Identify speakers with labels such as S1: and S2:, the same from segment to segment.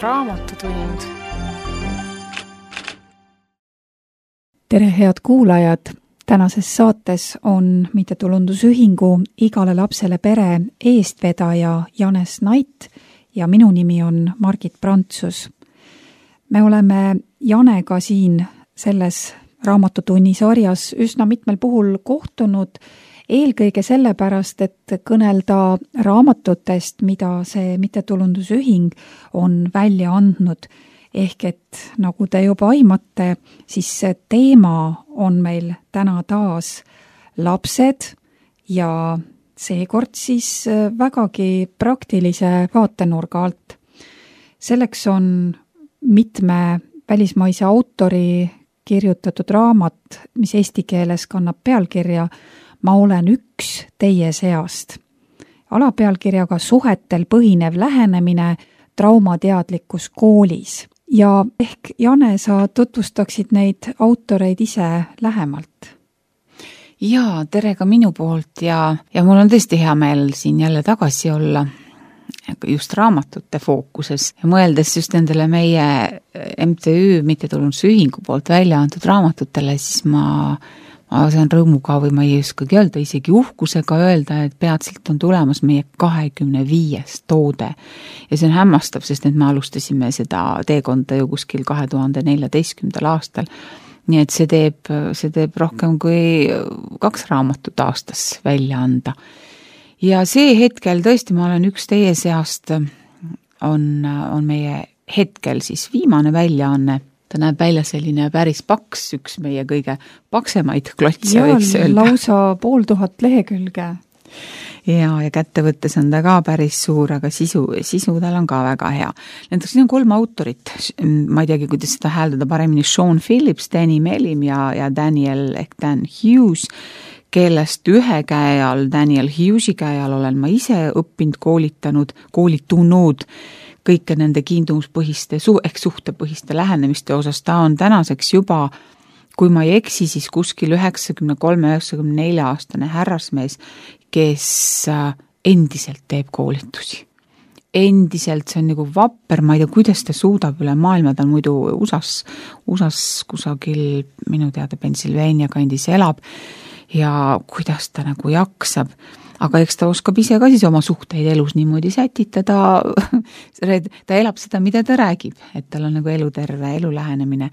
S1: Raamatutund.
S2: Tere, head kuulajad! Tänases saates on mittetulundusühingu Igale lapsele pere eestvedaja Janes Nait ja minu nimi on Margit Prantsus. Me oleme Janega siin selles raamatutunni sarjas üsna mitmel puhul kohtunud, eelkõige sellepärast, et kõnelda raamatutest, mida see mittetulundusühing on välja andnud. Ehk et nagu te juba aimate, siis see teema on meil täna taas lapsed ja seekord siis vägagi praktilise vaatenurga alt. Selleks on mitme välismaise autori kirjutatud raamat, mis eesti keeles kannab pealkirja Ma olen üks teie seast. Alapealkirjaga Suhetel põhinev lähenemine traumateadlikkus koolis. Ja ehk, Jane, sa tutvustaksid neid autoreid ise lähemalt?
S3: Jaa, tere ka minu poolt ja mul on tõesti hea meel siin jälle tagasi olla just raamatute fookuses ja mõeldes just nendele meie MTÜ mittetulundusühingu poolt välja antud raamatutele, siis ma saan rõõmuga või ma ei oskagi öelda, isegi uhkusega öelda, et peatselt on tulemas meie 25. toode. Ja see on hämmastav, sest et me alustasime seda teekonda ju kuskil 2014. aastal. Nii et see teeb rohkem kui 2 raamatut aastas välja anda. Ja see hetkel tõesti, ma olen üks teie seast, on meie hetkel siis viimane väljaanne. Ta näeb välja selline päris paks, üks meie kõige paksemaid klotse, võiks öelda.
S2: Lausa 500 lehekülge.
S3: Ja kätte võttes on ta ka päris suur, aga sisu tal on ka väga hea. Näiteks siin on 3 autorit, ma ei teagi, kuidas seda hääldada paremini, Sean Phillips, Danny Melim ja Daniel ehk Dan Hughes, kellest ühe käe all, Daniel Hughesi käe all olen ma ise õppinud, koolitunud kõike nende kiindumuspõhiste ehk suhtepõhiste lähenemiste osas. Ta on tänaseks juba, kui ma ei eksi, siis kuskil 93-94 aastane härrasmees, kes endiselt teeb koolitusi. Endiselt, see on nagu vapper, ma ei tea, kuidas ta suudab üle maailma, ta on muidu USAs kusagil minu teada Pennsylvania kandis elab ja kuidas ta nagu jaksab. Aga eks ta oskab ise ka siis oma suhteid elus niimoodi sätitada, ta elab seda, mida ta räägib, et tal on nagu eluterve elulähenemine.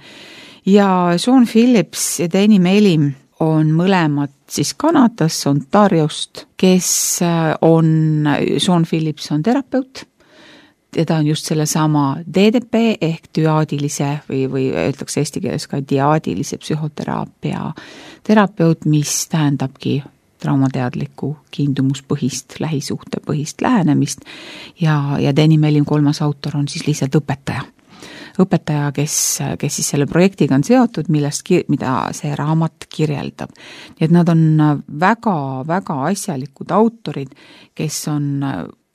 S3: Ja Sean Phillips ja Danny Melim on mõlemad siis Kanadas, Ontariost, Sean Phillips on terapeut, ja ta on just selle sama DDP ehk düaadilise või öeldakse eesti keeles ka diaadilise psühhoteraapia terapeut, mis tähendabki traumateadlikku kiindumuspõhist, lähisuhtepõhist lähenemist ja Danny Melim 3. autor on siis lihtsalt õpetaja, kes siis selle projektiga on seotud, mida see raamat kirjeldab. Nii et nad on väga asjalikud autorid, kes on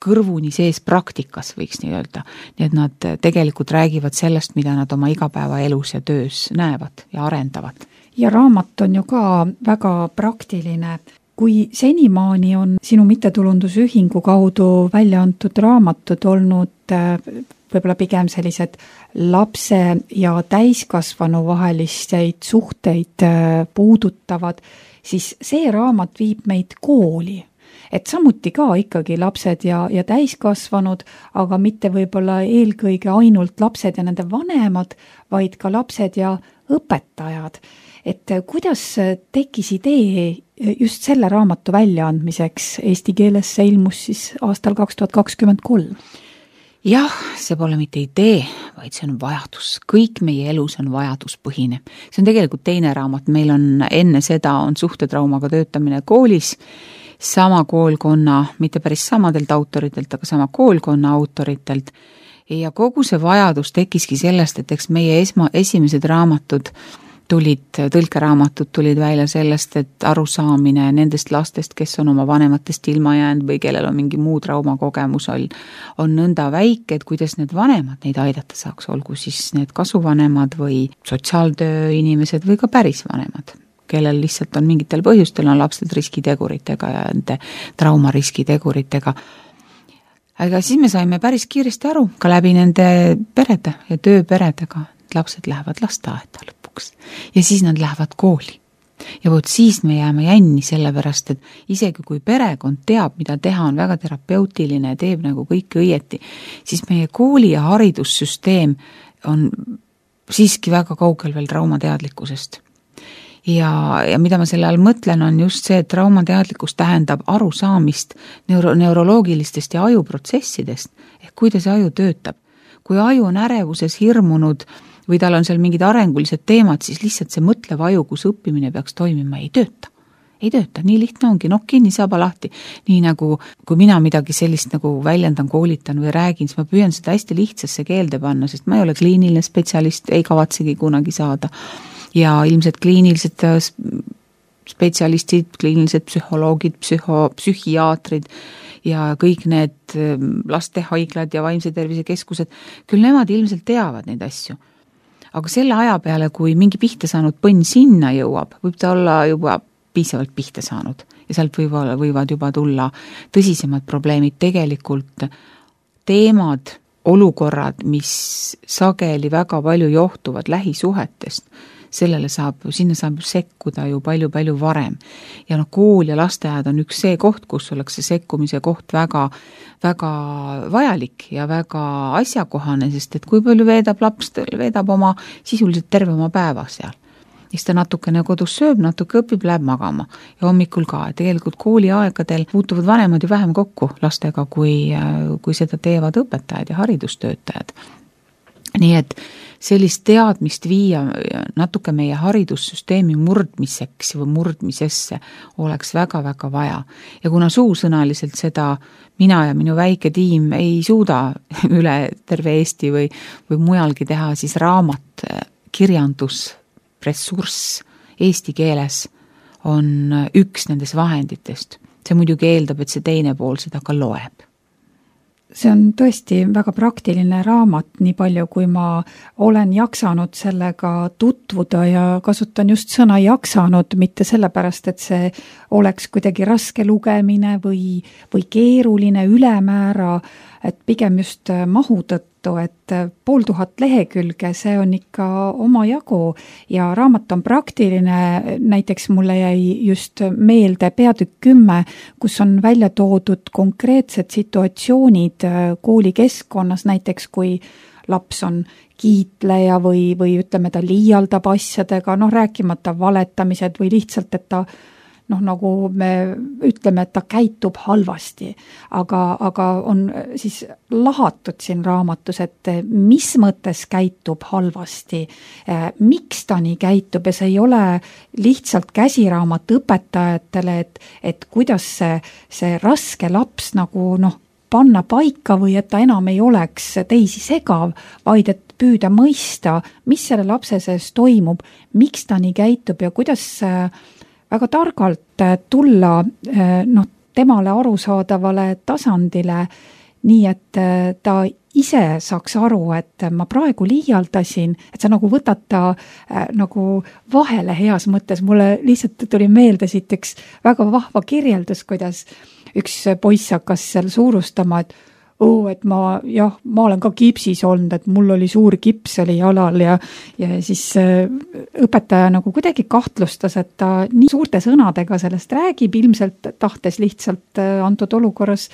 S3: kõrvuni sees praktikas, võiks nii öelda. Nii et nad tegelikult räägivad sellest, mida nad oma igapäevaelus ja töös näevad ja arendavad.
S2: Ja raamat on ju ka väga praktiline. Kui senimaani on sinu mittetulundusühingu kaudu välja antud raamatud olnud võib-olla pigem sellised lapse ja täiskasvanu vaheliseid suhteid puudutavad, siis see raamat viib meid kooli. Et samuti ka ikkagi lapsed ja täiskasvanud, aga mitte võib-olla eelkõige ainult lapsed ja nende vanemad, vaid ka lapsed ja õpetajad. Et kuidas tekkis idee just selle raamatu väljaandmiseks? Eesti keeles see ilmus siis aastal 2023.
S3: Jah, see pole mitte idee, vaid see on vajadus. Kõik meie elus on vajaduspõhine. See on tegelikult teine raamat. Meil on enne seda on suhtetraumaga töötamine koolis, sama koolkonna, mitte päris samadelt autoritelt, aga sama koolkonna autoritelt. Ja kogu see vajadus tekkiski sellest, et eks meie esimesed raamatud tõlkeraamatud tulid välja sellest, et arusaamine nendest lastest, kes on oma vanematest ilma jäänud või kellel on mingi muu traumakogemus on nõnda väike, et kuidas need vanemad neid aidata saaks, olgu siis need kasuvanemad või sotsiaaltöö inimesed või ka päris vanemad, kellel lihtsalt on mingitel põhjustel on lapsed riskiteguritega ja nende traumariskiteguritega. Aga siis me saime päris kiiresti aru ka läbi nende perede ja tööperedega, et lapsed lähevad lasteaeda lõpuks ja siis nad lähevad kooli. Ja võt siis me jääme jänni sellepärast, et isegi kui perekond teab, mida teha, on väga terapeutiline ja teeb nagu kõike õieti, siis meie kooli ja haridussüsteem on siiski väga kaugel veel traumateadlikkusest. Ja mida ma selle all mõtlen, on just see, et traumateadlikkus tähendab arusaamist neuroloogilistest ja ajuprotsessidest, ehk kuidas aju töötab. Kui aju on ärevuses hirmunud või tal on seal mingid arengulised teemad, siis lihtsalt see mõtlev aju, kus õppimine peaks toimima, ei tööta. Ei tööta, nii lihtne ongi, kinni saaba lahti. Nii nagu, kui mina midagi sellist nagu väljendan, koolitan või räägin, siis ma püüan seda hästi lihtsasse keelde panna, sest ma ei ole kliiniline spetsialist, ei kavatsegi kunagi saada. Ja ilmselt kliinilised spetsialistid, kliinilised psühholoogid, psühhiaatrid ja kõik need lastehaiglad ja vaimse tervise keskused, küll nemad ilmselt teavad neid asju. Aga selle aja peale, kui mingi pihta saanud põnn sinna jõuab, võib ta olla juba piisavalt pihta saanud ja sealt võivad juba tulla tõsisemad probleemid, tegelikult teemad, olukorrad, mis sageli väga palju johtuvad lähisuhetest, sinna saab sekkuda ju palju varem. Ja kool ja lasteaed on üks see koht, kus oleks see sekkumise koht väga vajalik ja väga asjakohane, sest et kui palju veedab oma sisuliselt terve oma päeva seal. Siis ta natukene kodus sööb, natuke õpib, läheb magama ja hommikul ka. Tegelikult kooliaegadel puutuvad vanemad ju vähem kokku lastega, kui seda teevad õpetajad ja haridustöötajad. Nii et sellist teadmist viia natuke meie haridussüsteemi murdmiseks või murdmisesse oleks väga vaja. Ja kuna suusõnaliselt seda mina ja minu väike tiim ei suuda üle terve Eesti või mujalgi teha, siis raamat, kirjandus, ressurss eesti keeles on üks nendest vahenditest. See muidugi eeldab, et see teine pool seda ka loeb.
S2: See on tõesti väga praktiline raamat, nii palju kui ma olen jaksanud sellega tutvuda ja kasutan just sõna jaksanud, mitte sellepärast, et see oleks kuidagi raske lugemine või keeruline ülemäära, et pigem just mahu tõttu, et 500 lehekülge, see on ikka omajagu ja raamat on praktiline, näiteks mulle jäi just meelde peatükk 10, kus on välja toodud konkreetsed situatsioonid koolikeskkonnas, näiteks kui laps on kiitleja või ütleme, ta liialdab asjadega, rääkimata valetamised või lihtsalt, et ta nagu me ütleme, et ta käitub halvasti, aga on siis lahatud siin raamatus, et mis mõttes käitub halvasti, miks ta nii käitub ja see ei ole lihtsalt käsiraamat õpetajatele, et kuidas see raske laps nagu panna paika või et ta enam ei oleks teisi segav, vaid et püüda mõista, mis selle lapse sees toimub, miks ta nii käitub ja kuidas väga targalt tulla temale arusaadavale tasandile, nii et ta ise saaks aru, et ma praegu liialdasin, et sa nagu võtad ta nagu vahele heas mõttes. Mulle lihtsalt tuli meelde siit üks väga vahva kirjeldus, kuidas üks poiss hakkas seal suurustama, et ma olen ka kipsis olnud, et mul oli suur kips oli jalal ja siis õpetaja nagu kuidagi kahtlustas, et ta nii suurte sõnadega sellest räägib, ilmselt tahtes lihtsalt antud olukorras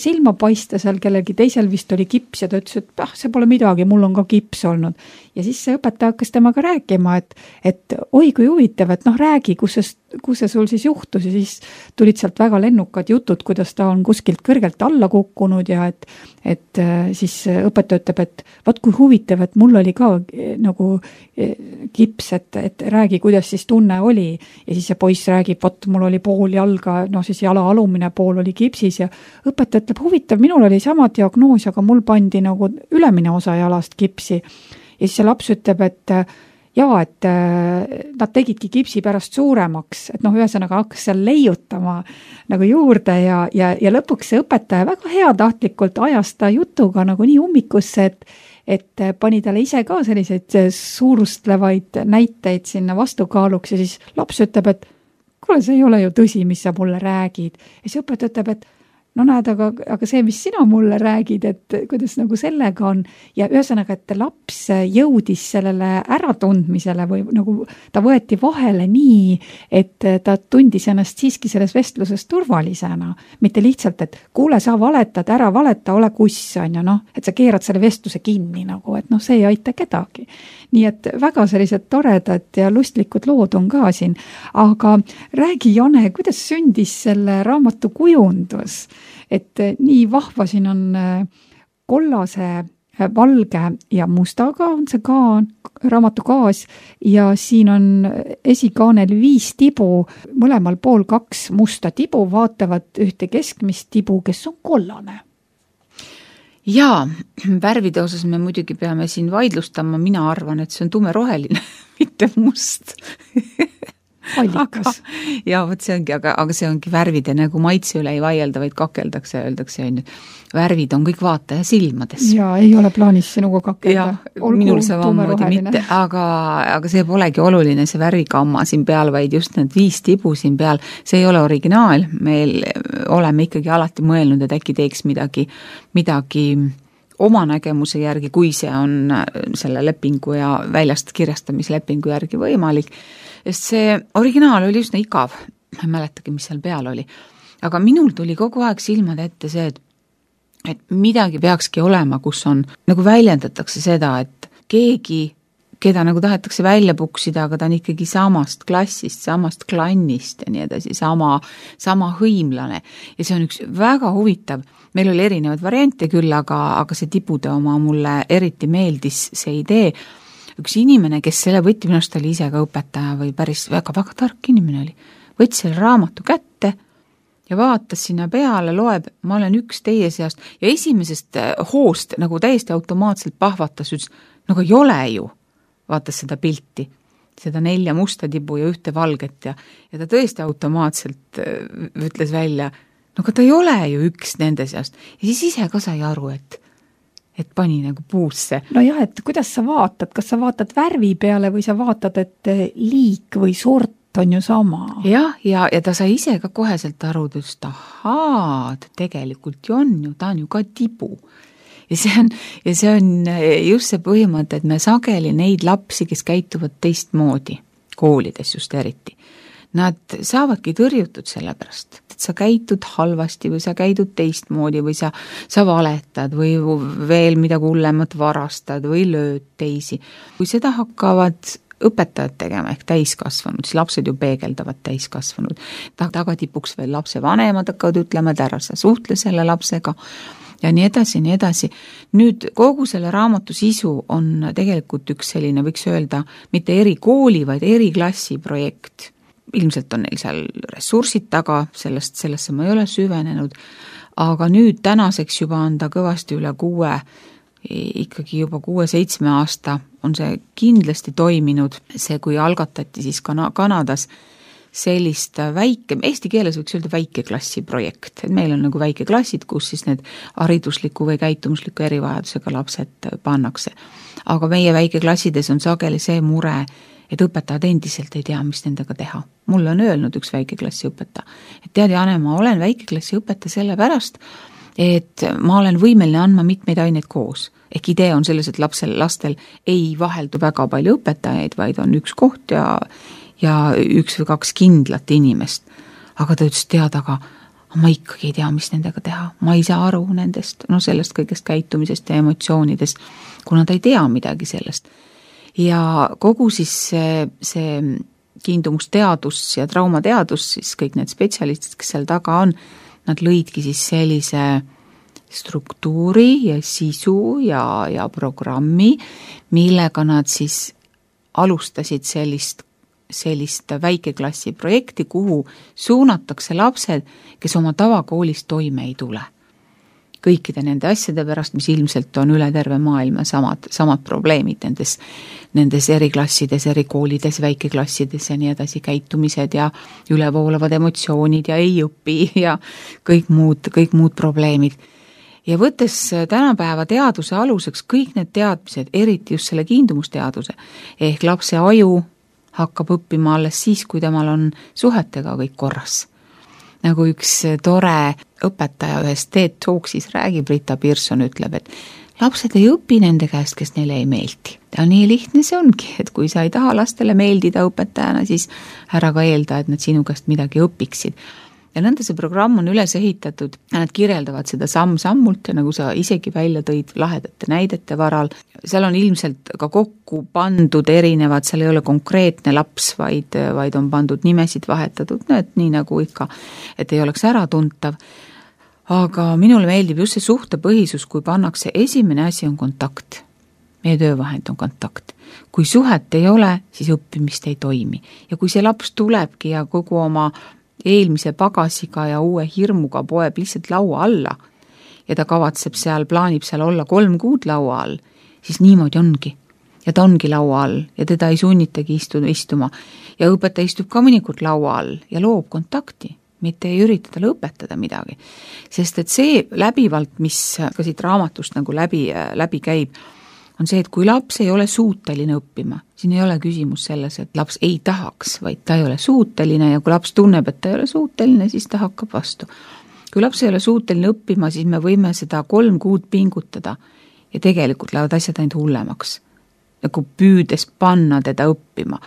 S2: silma paista, seal kellelgi teisel vist oli kips ja ta ütles, et see pole midagi, mul on ka kips olnud. Ja siis see õpetaja hakkas temaga rääkima, et oi kui huvitav, et räägi, kus see sul siis juhtus ja siis tulid sealt väga lennukad jutud, kuidas ta on kuskilt kõrgelt alla kukkunud ja et siis õpetaja ütleb, et vaat kui huvitav, et mul oli ka nagu kips, et räägi, kuidas siis tunne oli ja siis see poiss räägib, vaat mul oli pool jalga, siis jala alumine pool oli kipsis ja õpetaja ütleb, huvitav, minul oli sama diagnoos, aga mul pandi nagu ülemine osa jalast kipsi ja siis see laps ütleb, et nad tegidki kipsi pärast suuremaks, et ühesõnaga hakkas seal leiutama nagu juurde ja lõpuks see õpetaja väga heatahtlikult ajas ta jutuga nagu nii ummikusse, et pani talle ise ka selliseid suurustlevaid näiteid sinna vastukaaluks ja siis laps ütleb, et kuule, see ei ole ju tõsi, mis sa mulle räägid. Ja see õpetaja ütleb, et no näed, aga see, mis sina mulle räägid, et kuidas nagu sellega on ja ühesõnaga, et laps jõudis sellele äratundmisele või nagu ta võeti vahele nii, et ta tundis ennast siiski selles vestluses turvalisena, mitte lihtsalt, et kuule, sa valetad, ära valeta, ole kuss, on ju, noh, et sa keerad selle vestluse kinni nagu, et noh, see ei aita kedagi. Nii et väga sellised toredad ja lustlikud lood on ka siin, aga räägi, Jane, kuidas sündis selle raamatu kujundus? Et nii vahva siin on kollase, valge ja mustaga on see raamatu kaas ja siin on esikaanel 5 tibu, mõlemal pool 2 musta tibu vaatavad ühte keskmist tibu, kes on kollane.
S3: Jaa, värvide osas me muidugi peame siin vaidlustama, mina arvan, et see on tumeroheline, mitte must.
S2: Allikas.
S3: Ja võt see ongi, aga see ongi värvide nagu maitse üle ei vaielda, vaid kakeldakse, öeldakse, värvid on kõik vaataja silmades.
S2: Ja ei ole plaanis sinuga kakelda.
S3: Minul samamoodi mitte, aga see polegi oluline, see värvikamma siin peal, vaid just need 5 tibu siin peal, see ei ole originaal, meil oleme ikkagi alati mõelnud, et äkki teeks midagi oma nägemuse järgi, kui see on selle lepingu ja väljast kirjastamislepingu järgi võimalik. Sest see originaal oli üsna igav, ma ei mäletagi, mis seal peal oli. Aga minul tuli kogu aeg silmad ette see, et midagi peakski olema, kus on, nagu väljendatakse seda, et keegi, keda nagu tahetakse välja puksida, aga ta on ikkagi samast klassist, samast klannist ja nii edasi, sama hõimlane. Ja see on üks väga huvitav, meil oli erinevad variante küll, aga see tibude oma mulle eriti meeldis see idee. Üks inimene, kes selle võtti, minust oli ise ka õpetaja või päris väga tark inimene oli, võttis selle raamatu kätte ja vaatas sinna peale, loeb, ma olen üks teie seast ja esimesest hoost nagu täiesti automaatselt pahvatas, ütles, nagu ei ole ju, vaatas seda pilti, seda 4 musta tibu ja 1 valget ja ta tõesti automaatselt ütles välja, no ta ei ole ju üks nende seast ja siis ise ka sai aru, et pani nagu puusse.
S2: No jah, et kuidas sa vaatad, kas sa vaatad värvi peale või sa vaatad, et liik või sort on ju sama?
S3: Jah, ja ta sai ise ka koheselt aru, et ahaa, ta tegelikult ju on ju, ta on ju ka tibu. Ja see on just see põhimõte, et me sageli neid lapsi, kes käituvad teistmoodi, koolides just eriti, nad saavadki tõrjutud selle pärast, et sa käitud halvasti või sa käidud teistmoodi või sa valetad või veel midagi hullemat varastad või lööd teisi. Kui seda hakkavad õpetajad tegema ehk täiskasvanud, siis lapsed ju peegeldavad täiskasvanud. Tagatipuks veel lapse vanemad hakkavad ütlema, et ära sa suhtle selle lapsega ja nii edasi, nii edasi. Nüüd kogu selle raamatu sisu on tegelikult üks selline, võiks öelda, mitte erikooli, vaid eriklassi projekt. Ilmselt on neil seal ressursid taga, sellesse ma ei ole süvenenud, aga nüüd tänaseks juba on ta kõvasti üle 6, ikkagi juba 6-7 aasta on see kindlasti toiminud, see kui algatati siis Kanadas sellist eesti keeles võiks öelda väikeklassi projekt, et meil on nagu väikeklassid, kus siis need haridusliku või käitumusliku erivajadusega lapsed pannakse. Aga meie väikeklassides on sageli see mure, et õpetajad endiselt ei tea, mis nendega teha. Mulle on öelnud üks väikeklassi õpetaja, et tead, Jane, ma olen väikeklassi õpetaja sellepärast, et ma olen võimeline andma mitmeid aineid koos. Ehk idee on selles, et lastel ei vaheldu väga palju õpetajaid, vaid on üks koht ja 1 või 2 kindlat inimest. Aga ta ütles, tead, aga ma ikkagi ei tea, mis nendega teha. Ma ei saa aru nendest, sellest kõigest käitumisest ja emotsioonidest, kuna ta ei tea midagi sellest. Ja kogu siis see kiindumusteadus ja traumateadus, siis kõik need spetsialistid, kes seal taga on, nad lõidki siis sellise struktuuri ja sisu ja programmi, millega nad siis alustasid sellist väikeklassi projekti, kuhu suunatakse lapsed, kes oma tavakoolis toime ei tule. Kõikide nende asjade pärast, mis ilmselt on üle terve maailma samad probleemid nendes eriklassides, erikoolides, väikeklassides ja nii edasi, käitumised ja ülevoolavad emotsioonid ja ei õpi ja kõik muud probleemid. Ja võttes tänapäeva teaduse aluseks kõik need teadmised, eriti just selle kiindumusteaduse, ehk lapse aju hakkab õppima alles siis, kui temal on suhetega kõik korras. nagu üks tore õpetaja ühes TED Talksis räägib, Rita Pearson ütleb, et lapsed ei õpi nende käest, kes neile ei meeldi. Ja nii lihtne see ongi, et kui sa ei taha lastele meeldida õpetajana, siis ära ka eelda, et nad sinu käest midagi õpiksid. Ja nõnda see programm on üles ehitatud, nad kirjeldavad seda samm-sammult ja nagu sa isegi välja tõid lahedate näidete varal, seal on ilmselt ka kokku pandud erinevad, seal ei ole konkreetne laps, vaid on pandud nimesid vahetatud, et nii nagu ikka, et ei oleks äratuntav. Aga minule meeldib just see suhtepõhisus, kui pannakse esimene asi on kontakt. Meie töövahend on kontakt. Kui suhet ei ole, siis õppimist ei toimi. Ja kui see laps tulebki ja kogu oma eelmise pagasiga ja uue hirmuga poeb lihtsalt laua alla ja ta kavatseb seal, plaanib seal olla 3 kuud laua all, siis niimoodi ongi. Ja ta ongi laua all ja teda ei sunnitagi istuma. Ja õpetaja istub ka mõnikord laua all ja loob kontakti, mitte ei ürita talle õpetada midagi. Sest et see läbivalt, mis ka siit raamatust nagu läbi käib, on see, et kui laps ei ole suuteline õppima, siin ei ole küsimus selles, et laps ei tahaks, vaid ta ei ole suuteline ja kui laps tunneb, et ta ei ole suuteline, siis ta hakkab vastu. Kui laps ei ole suuteline õppima, siis me võime seda 3 kuud pingutada ja tegelikult lähevad asjad ainult hullemaks, nagu püüdes panna teda õppima.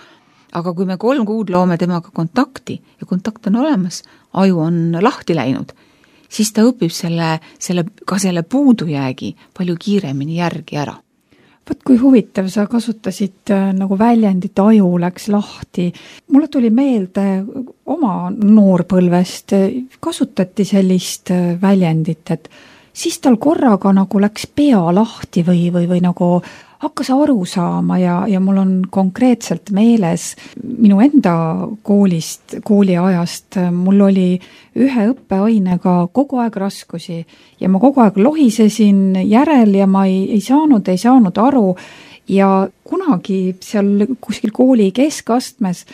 S3: Aga kui me 3 kuud loome temaga kontakti ja kontakt on olemas, aju on lahti läinud, siis ta õpib selle puudujäägi palju kiiremini järgi ära.
S2: Võt kui huvitav, sa kasutasid nagu väljendit, aju läks lahti. Mulle tuli meelde oma noorpõlvest, kasutati sellist väljendit, et siis tal korraga nagu läks pea lahti või nagu hakkas aru saama ja mul on konkreetselt meeles minu enda kooliajast, mul oli ühe õppeainega kogu aeg raskusi ja ma kogu aeg lohisesin järel ja ma ei saanud aru ja kunagi seal kuskil kooli keskastmes,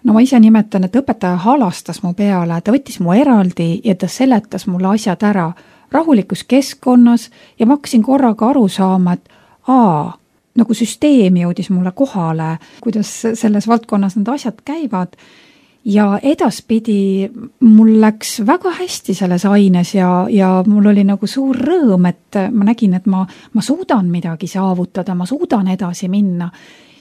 S2: no ma ise nimetan, et õpetaja halastas mu peale, ta võttis mu eraldi ja ta seletas mulle asjad ära rahulikus keskkonnas ja ma hakkasin korraga aru saama, et nagu süsteem jõudis mulle kohale, kuidas selles valdkonnas need asjad käivad ja edaspidi mul läks väga hästi selles aines ja mul oli nagu suur rõõm, et ma nägin, et ma suudan midagi saavutada, ma suudan edasi minna.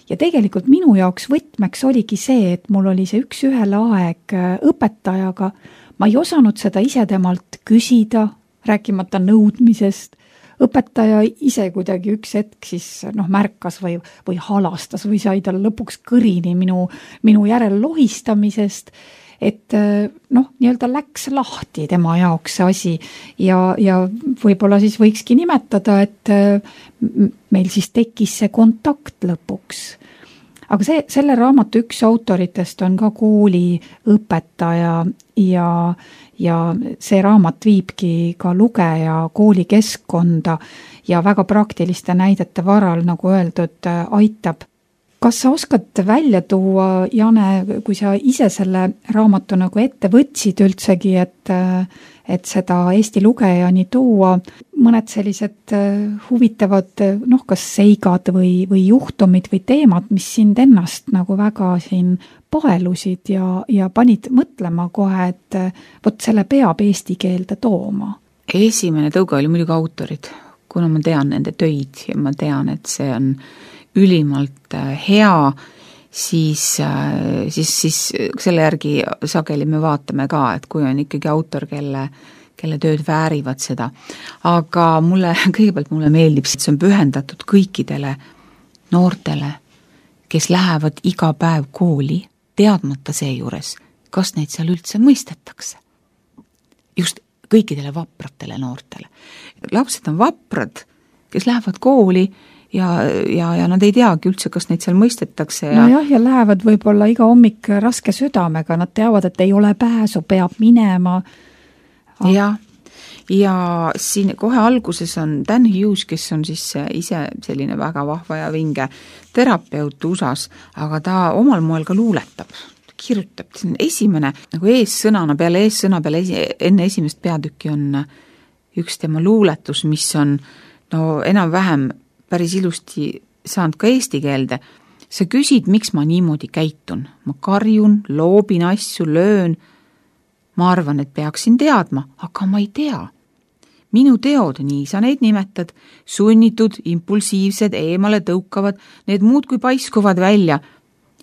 S2: Ja tegelikult minu jaoks võtmeks oligi see, et mul oli see üks-ühele aeg õpetajaga, ma ei osanud seda ise temalt küsida, rääkimata nõudmisest. Õpetaja ise kuidagi üks hetk siis märkas või halastas või sai tal lõpuks kõrini minu järel lohistamisest, et nii-öelda läks lahti tema jaoks see asi ja võib-olla siis võikski nimetada, et meil siis tekkis see kontakt lõpuks. Aga selle raamatu üks autoritest on ka kooliõpetaja ja see raamat viibki ka lugeja koolikeskkonda ja väga praktiliste näidete varal, nagu öeldud, aitab. Kas sa oskad välja tuua, Jane, kui sa ise selle raamatu nagu ette võtsid üldsegi, et seda Eesti lugejani tuua, mõned sellised huvitavad, kas seigad või juhtumid või teemad, mis sind ennast nagu väga siin paelusid ja panid mõtlema kohe, et vot selle peab eesti keelde tooma?
S3: Esimene tõuge oli muidugi autorid, kuna ma tean nende töid ja ma tean, et see on ülimalt hea, siis selle järgi sageli me vaatame ka, et kui on ikkagi autor, kelle tööd väärivad seda. Aga kõigepealt mulle meeldib, et see on pühendatud kõikidele noortele, kes lähevad iga päev kooli, teadmata seejuures, kas neid seal üldse mõistetakse. Just kõikidele vapratele noortele. Lapsed on vaprad, kes lähevad kooli ja nad ei teagi üldse, kas neid seal mõistetakse.
S2: Ja lähevad võib-olla iga hommik raske südamega, nad teavad, et ei ole pääsu, peab minema.
S3: Ja siin kohe alguses on Dan Hughes, kes on siis ise selline väga vahva ja vinge terapeut USAs, aga ta omal moel ka luuletab, kirjutab. Esimene, nagu eessõna peale enne esimest peatükki on üks tema luuletus, mis on enam-vähem päris ilusti saanud ka eesti keelde. Sa küsid, miks ma niimoodi käitun. Ma karjun, loobin asju, löön. ma arvan, et peaksin teadma, aga ma ei tea. Minu teod, nii sa neid nimetad, sunnitud, impulsiivsed, eemale tõukavad, need muudkui paiskuvad välja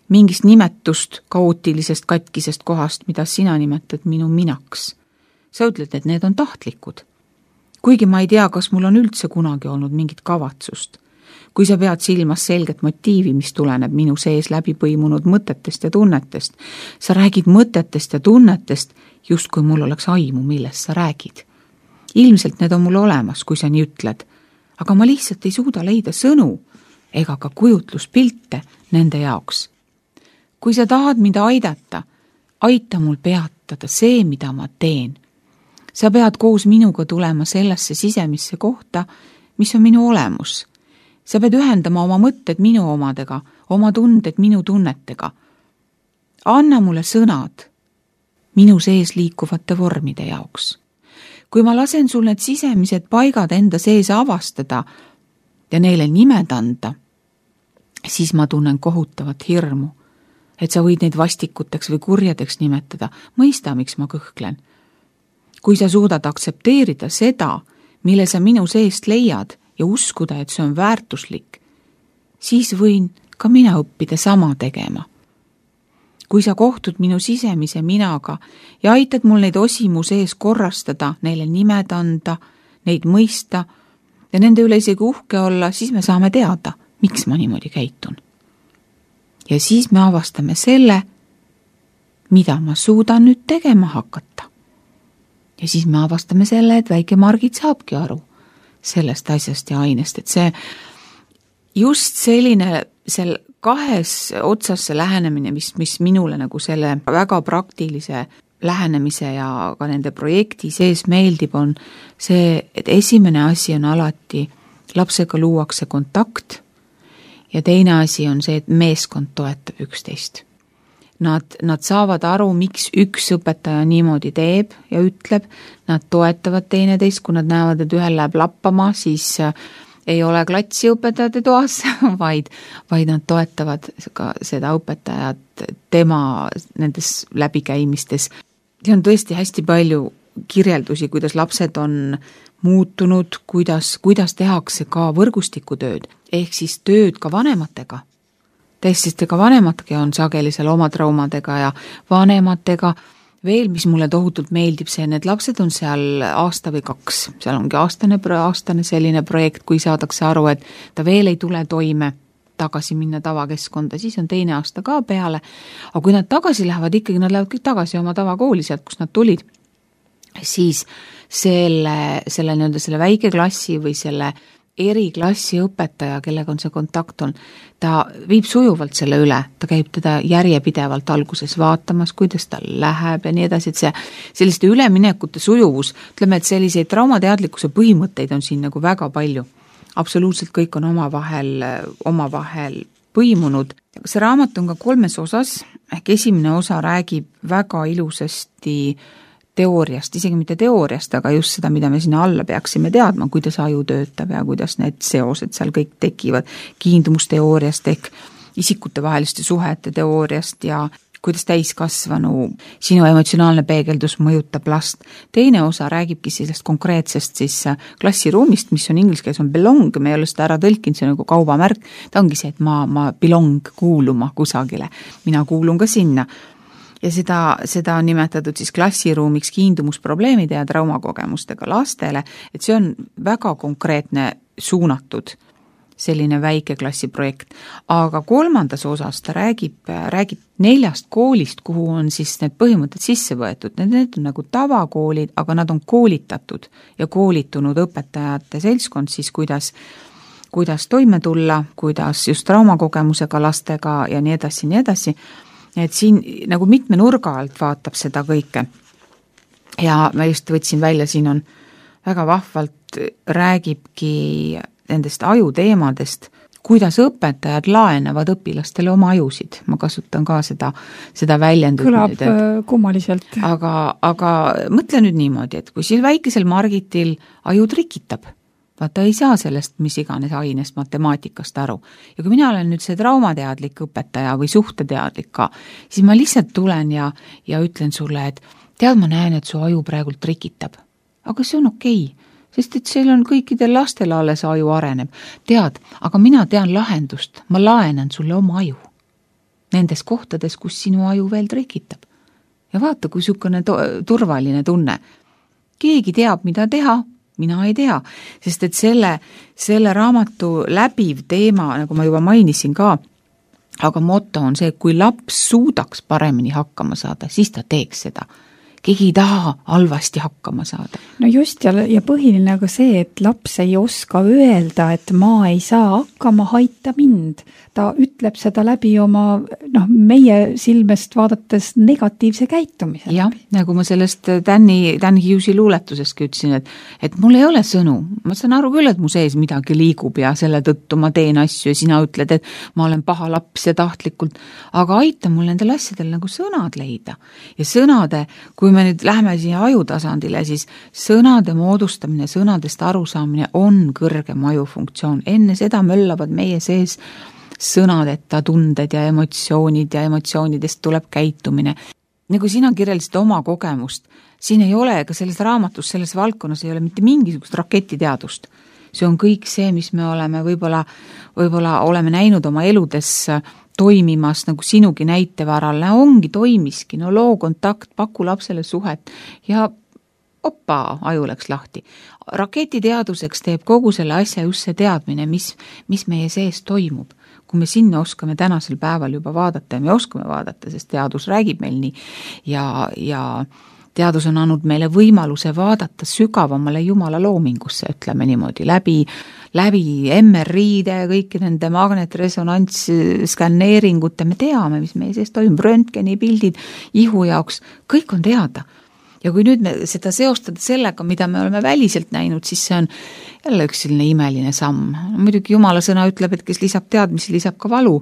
S3: mingist nimetust kaootilisest katkisest kohast, mida sina nimetad minu minaks. Sa ütled, et need on tahtlikud. Kuigi ma ei tea, kas mul on üldse kunagi olnud mingit kavatsust. Kui sa pead silmas selget motiivi, mis tuleneb minu sees läbi põimunud mõtetest ja tunnetest, sa räägid mõtetest ja tunnetest, just kui mul oleks aimu, millest sa räägid. Ilmselt need on mul olemas, kui sa nii ütled, aga ma lihtsalt ei suuda leida sõnu ega ka kujutluspilte nende jaoks. Kui sa tahad mind aidata, aita mul peatada see, mida ma teen. Sa pead koos minuga tulema sellesse sisemisse kohta, mis on minu olemus. Sa pead ühendama oma mõtted minu omadega, oma tunded minu tunnetega. Anna mulle sõnad minu sees liikuvate vormide jaoks. Kui ma lasen sul need sisemised paigad enda sees avastada ja neile nimed anda, siis ma tunnen kohutavat hirmu, et sa võid neid vastikuteks või kurjadeks nimetada, mõista, miks ma kõhklen. Kui sa suudad aktsepteerida seda, mille sa minu seest leiad ja uskuda, et see on väärtuslik, siis võin ka mina õppida sama tegema. Kui sa kohtud minu sisemise minaga ja aitad mul neid osi mu sees korrastada, neile nimed anda, neid mõista ja nende üle isegi uhke olla, siis me saame teada, miks ma niimoodi käitun. Ja siis me avastame selle, mida ma suudan nüüd tegema hakata. Ja siis me avastame selle, et väike Margit saabki aru sellest asjast ja ainest, et see just selline kahes otsas see lähenemine, mis minule nagu selle väga praktilise lähenemise ja ka nende projekti sees meeldib, on see, et esimene asi on alati lapsega luuakse kontakt ja teine asi on see, et meeskond toetab üksteist. Nad saavad aru, miks üks õpetaja niimoodi teeb ja ütleb, nad toetavad teineteist, kui nad näevad, et ühel läheb lappama, siis ei ole klatsi õpetajate toas, vaid nad toetavad ka seda õpetajat tema nendes läbikäimistes. See on tõesti hästi palju kirjeldusi, kuidas lapsed on muutunud, kuidas tehakse ka võrgustikutööd, ehk siis tööd ka vanematega. Sest ka vanematega on sageli seal oma traumadega ja vanematega veel, mis mulle tohutult meeldib, see, need lapsed on seal aasta või 2, seal ongi aastane selline projekt, kui saadakse aru, et ta veel ei tule toime tagasi minna tavakeskkonda, siis on teine aasta ka peale, aga kui nad tagasi lähevad, ikkagi nad lähevad kõik tagasi oma tavakooli sealt, kus nad tulid, siis selle väike klassi või selle eriklassi õpetaja, kellega on see kontakt on, ta viib sujuvalt selle üle, ta käib teda järjepidevalt alguses vaatamas, kuidas tal läheb ja nii edasi, et selliste üleminekute sujuvus, ütleme, et selliseid traumateadlikkuse põhimõtteid on siin nagu väga palju. Absoluutselt kõik on omavahel põimunud. See raamat on ka 3 osas, ehk esimene osa räägib väga ilusasti teooriast, isegi mitte teooriast, aga just seda, mida me sinna alla peaksime teadma, kuidas aju töötab ja kuidas need seosed seal kõik tekivad, kiindumusteooriast ehk isikutevaheliste suhete teooriast ja kuidas täiskasvanu sinu emotsionaalne peegeldus mõjutab last. Teine osa räägibki sellest konkreetsest siis klassiruumist, mis on inglise keeles on belong, me ei ole seda ära tõlkinud, see on nagu kaubamärk, ta ongi see, et ma belong kuuluma kusagile, mina kuulun ka sinna. Ja seda on nimetatud siis klassiruumiks kiindumusprobleemide ja traumakogemustega lastele, et see on väga konkreetne suunatud selline väike klassiprojekt. Aga 3. osas ta räägib 4 koolist, kuhu on siis need põhimõtted sisse võetud. Need on nagu tavakoolid, aga nad on koolitatud ja koolitunud õpetajate seltskond siis, kuidas toime tulla, kuidas just traumakogemusega lastega ja nii edasi. Et siin nagu mitme nurga alt vaatab seda kõike. Ja ma just võtsin välja, siin on väga vahvalt räägibki nendest ajuteemadest, kuidas õpetajad laenavad õpilastele oma ajusid. Ma kasutan ka seda väljendut.
S2: Kõlab kummaliselt.
S3: Aga mõtle nüüd niimoodi, et kui siin väikesel Margitil aju trikitab, vaata ei saa sellest mis iganes ainest matemaatikast aru. Ja kui mina olen nüüd see traumateadlik õpetaja või suhteteadlik ka, siis ma lihtsalt tulen ja ütlen sulle, et tead, ma näen, et su aju praegult trikitab, aga see on okei, sest et seal on kõikidel lastel alles aju areneb. Tead, aga mina tean lahendust, ma laenan sulle oma aju. Nendes kohtades, kus sinu aju veel trikitab. Ja vaata, kui sükone turvaline tunne. Keegi teab, mida teha, mina ei tea, sest et selle raamatu läbiv teema, nagu ma juba mainisin ka, aga moto on see, kui laps suudaks paremini hakkama saada, siis ta teeks seda. Keegi ei taha halvasti hakkama saada.
S2: No just, ja põhiline aga see, et laps ei oska öelda, et ma ei saa hakkama, aita mind. Ta ütleb seda läbi oma, meie silmest vaadates negatiivse käitumise.
S3: Jah, nagu ma sellest Dan Hughesi luuletusestki ütlesin, et mul ei ole sõnu. Ma saan aru küll, et mu sees midagi liigub ja selle tõttu ma teen asju ja sina ütled, et ma olen paha laps ja tahtlikult, aga aita mul nendel asjadel nagu sõnad leida. Ja sõnade, kui me nüüd lähme siia ajutasandile, siis sõnade moodustamine, sõnadest arusaamine on kõrgem ajufunktsioon. Enne seda möllavad meie sees sõnadeta tunded ja emotsioonid ja emotsioonidest tuleb käitumine. Nagu sina kirjeldasid oma kogemust, siin ei ole, ega selles raamatus, selles valdkonnas ei ole mitte mingisugust raketiteadust. See on kõik see, mis me oleme võib-olla oleme näinud oma eludes toimimas, nagu sinugi näitevaral, ongi toimiski, loo kontakt, paku lapsele suhet ja oppa, aju läks lahti. Raketiteaduseks teeb kogu selle asja just see teadmine, mis meie sees toimub. Kui me sinna oskame tänasel päeval juba vaadata ja me oskame vaadata, sest teadus räägib meil nii ja teadus on andnud meile võimaluse vaadata sügavamale Jumala loomingusse, ütleme niimoodi, läbi MRI-de ja kõiki nende magnetresonants skanneeringute, me teame, mis meie sees toimub, röntgeni pildid, ihu jaoks, kõik on teada. Ja kui nüüd me seda seostada sellega, mida me oleme väliselt näinud, siis see on jälle üks selline imeline samm. Muidugi Jumala sõna ütleb, et kes lisab teadmisi, lisab ka valu.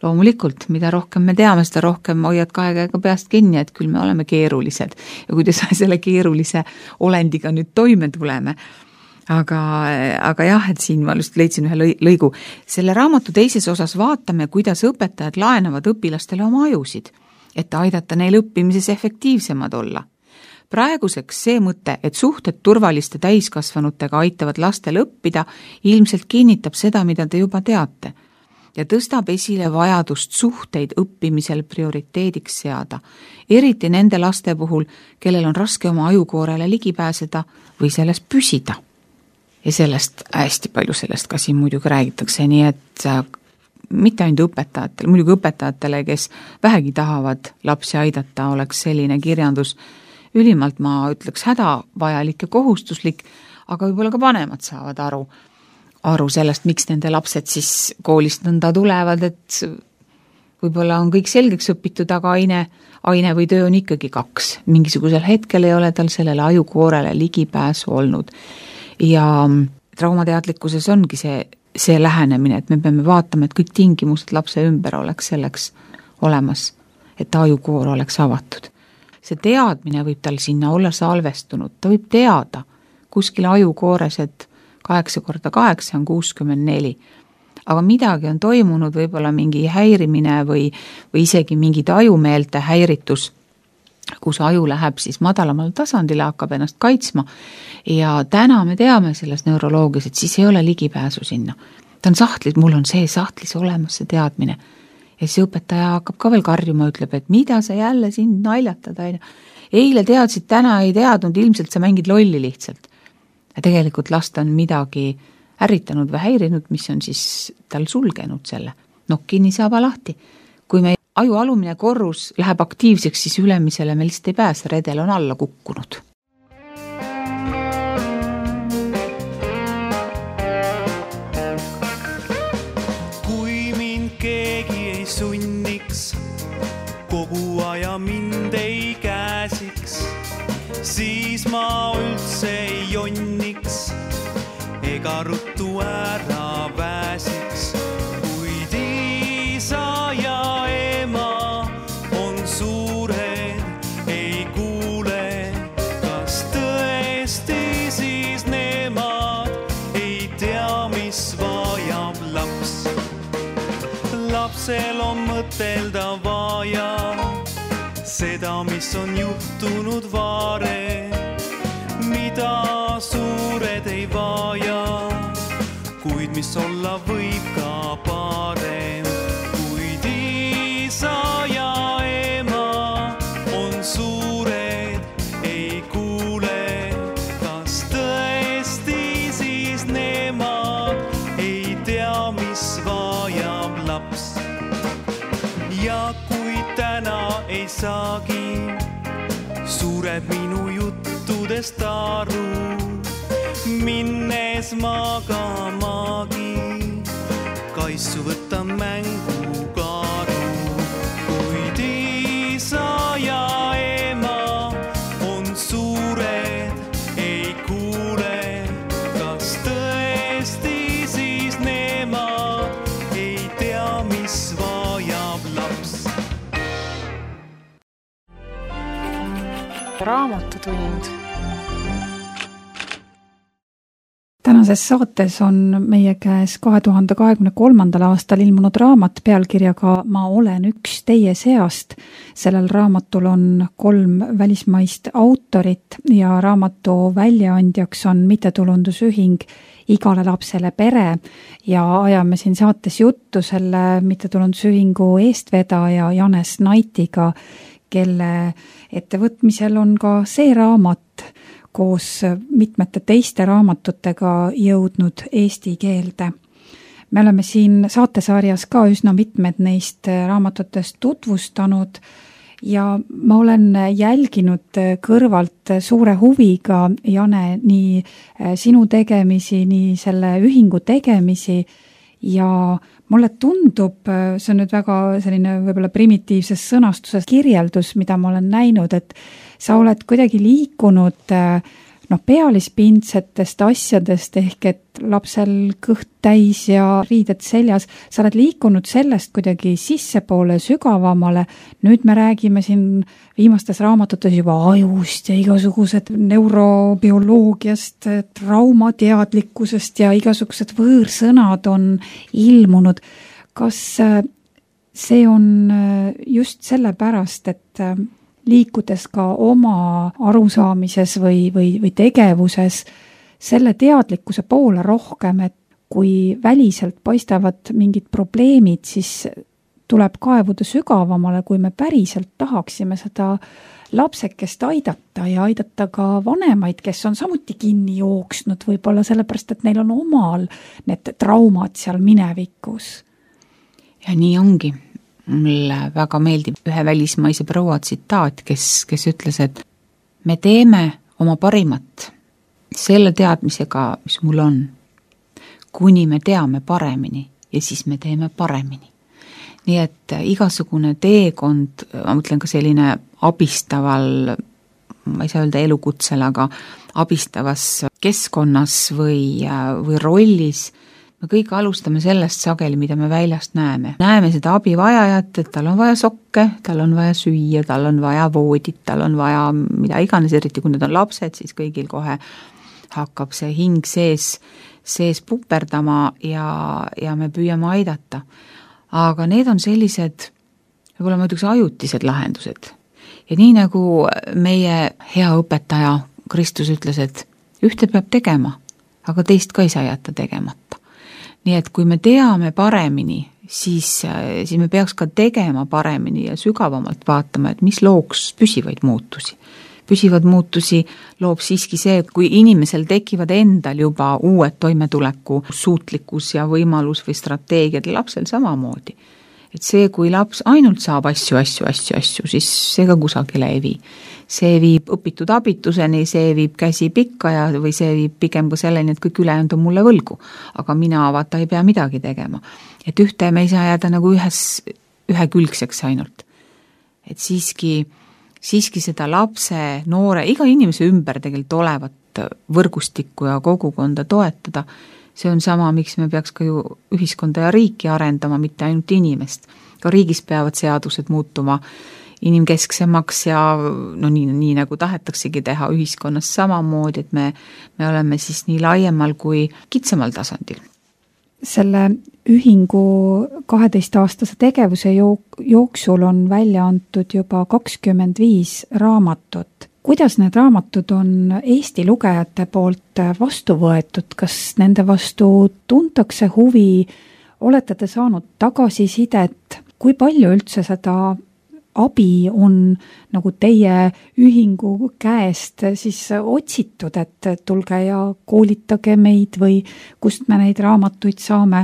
S3: Loomulikult, mida rohkem me teame, seda rohkem hoiad kahe käega peast kinni, et küll me oleme keerulised. Ja kuidas selle keerulise olendiga nüüd toime tuleme. Aga jah, et siin ma just leidsin ühe lõigu. Selle raamatu teises osas vaatame, kuidas õpetajad laenavad õpilastele oma ajusid, et aidata neil õppimises efektiivsemad olla. Praeguseks see mõte, et suhted turvaliste täiskasvanutega aitavad lastel õppida, ilmselt kinnitab seda, mida te juba teate, ja tõstab esile vajadust suhteid õppimisel prioriteediks seada, eriti nende laste puhul, kellel on raske oma ajukoorele ligi pääseda või selles püsida. Ja sellest, hästi palju sellest ka siin muidugi räägitakse, nii et mitte ainult õpetajatele, muidugi õpetajatele, kes vähegi tahavad lapsi aidata, oleks selline kirjandus ülimalt, ma ütleks, hädavajalik ja kohustuslik, aga võib-olla ka vanemad saavad aru sellest, miks nende lapsed siis koolist nõnda tulevad, et võib-olla on kõik selgeks õpitud, aga aine või töö on ikkagi 2. Mingisugusel hetkel ei ole tal sellele ajukoorele ligipääsu olnud. Ja traumateadlikkuses ongi see lähenemine, et me peame vaatama, et kõik tingimused lapse ümber oleks selleks olemas, et ajukoor oleks avatud. See teadmine võib tal sinna olla salvestunud, ta võib teada kuskil ajukoores, et 8x8 on 64, aga midagi on toimunud, võib-olla mingi häirimine või isegi mingid ajumeelte häiritus, kus aju läheb siis madalamal tasandile, hakkab ennast kaitsma ja täna me teame selles neuroloogias, et siis ei ole ligipääsu sinna. Ta on sahtlis, mul on see sahtlis olemas, see teadmine. Ja siis õpetaja hakkab ka veel karjuma, ütleb, et mida sa jälle siin naljatad, eile teadsid, täna ei teadnud, ilmselt sa mängid lolli lihtsalt. Ja tegelikult last on midagi ärritanud või häirinud, mis on siis tal sulgenud selle. Kinni saaba lahti. Kui me aju alumine korrus läheb aktiivseks, siis ülemisele me lihtsalt ei pääse, redel on alla kukkunud.
S1: Sunniks, kogu aja mind ei käsiks, siis ma üldse ei jonniks ega ruttu ära pääsiks. Kuid isa ja ema on suured, ei kuule, kas tõesti siis nemad ei tea, mis vajab laps. Lapsel on mõtelda vaja, seda, mis on juhtunud varem, mida suured ei vaja, kuid mis olla võib ka parem. Kuid isa ja ema on suured, ei kuule, kas tõesti siis nemad ei tea, mis vajab laps. Ja kui täna ei saagi, sureb minu juttudest aru, minnes magamagi, kaisu võtta mängu karu. Kuid isa ja ema on suured, ei kuule, kas tõesti siis nemad ei tea, mis vajab laps.
S4: Raamatutund.
S2: Tänases saates on meie käes 2023. aastal ilmunud raamat pealkirjaga Ma olen üks teie seast. Sellel raamatul on 3 välismaist autorit ja raamatu väljaandjaks on mittetulundusühing Igale lapsele pere ja ajame siin saates juttu selle mittetulundusühingu eestvedaja Janes Naitiga, kelle ettevõtmisel on ka see raamat koos mitmete teiste raamatutega jõudnud eesti keelde. Me oleme siin saatesarjas ka üsna mitmed neist raamatutest tutvustanud ja ma olen jälginud kõrvalt suure huviga, Jane, nii sinu tegemisi, nii selle ühingu tegemisi ja mulle tundub, see on nüüd väga selline võib-olla primitiivses sõnastuses kirjeldus, mida ma olen näinud, et sa oled kuidagi liikunud pealispindsetest asjadest ehk et lapsel kõht täis ja riided seljas. Sa oled liikunud sellest kuidagi sissepoole sügavamale. Nüüd me räägime siin viimastes raamatutes juba ajust ja igasugused neurobioloogiast, traumateadlikkusest ja igasugused võõrsõnad on ilmunud. Kas see on just sellepärast, et liikudes ka oma arusaamises või tegevuses selle teadlikkuse poole rohkem, et kui väliselt paistavad mingid probleemid, siis tuleb kaevuda sügavamale, kui me päriselt tahaksime seda lapsekest aidata ja aidata ka vanemaid, kes on samuti kinni jooksnud võib-olla sellepärast, et neil on omal need traumad seal minevikus.
S3: Ja nii ongi. Mulle väga meeldib ühe välismaise proua tsitaat, kes ütles, et me teeme oma parimat selle teadmisega, mis mul on, kuni me teame paremini ja siis me teeme paremini. Nii et igasugune teekond, ma mõtlen ka selline abistaval, ma ei saa öelda elukutsel, aga abistavas keskkonnas või rollis, me kõik alustame sellest sageli, mida me väljast näeme. Näeme seda abivajajat, et tal on vaja sokke, tal on vaja süüa, tal on vaja voodit, tal on vaja mida iganes, eriti kui need on lapsed, siis kõigil kohe hakkab see hing sees puperdama ja me püüame aidata. Aga need on sellised, võib-olla ma ütleks ajutised lahendused. Ja nii nagu meie hea õpetaja Kristus ütles, et ühte peab tegema, aga teist ka ei saa jätta tegemata. Nii et kui me teame paremini, siis me peaks ka tegema paremini ja sügavamalt vaatama, et mis looks püsivaid muutusi. Püsivad muutusi loob siiski see, kui inimesel tekivad endal juba uued toimetuleku suutlikkus ja võimalus või strateegiad, lapsel samamoodi. Et see, kui laps ainult saab asju, siis see ka kusagile ei vii. See viib õpitud abituseni, see viib käsi pikka või see viib pigem ka selleni, et kõik ülejäänud on mulle võlgu. Aga mina vaata ei pea midagi tegema. Et ühte me ei saa jääda nagu ühekülgseks ainult. Et siiski seda lapse, noore, iga inimese ümber tegelikult olevat võrgustikku ja kogukonda toetada. See on sama, miks me peaks ka ju ühiskonda ja riiki arendama, mitte ainult inimest. Ka riigis peavad seadused muutuma inimkesksemaks ja nii nagu tahetaksegi teha ühiskonnas samamoodi, et me oleme siis nii laiemal kui kitsamal tasandil.
S2: selle ühingu 12-aastase tegevuse jooksul on välja antud juba 25 raamatut. Kuidas need raamatud on Eesti lugejate poolt vastu võetud? Kas nende vastu tuntakse huvi? Olete te saanud tagasisidet? Kui palju üldse seda abi on nagu teie ühingu käest siis otsitud, et tulge ja koolitage meid või kust me neid raamatuid saame?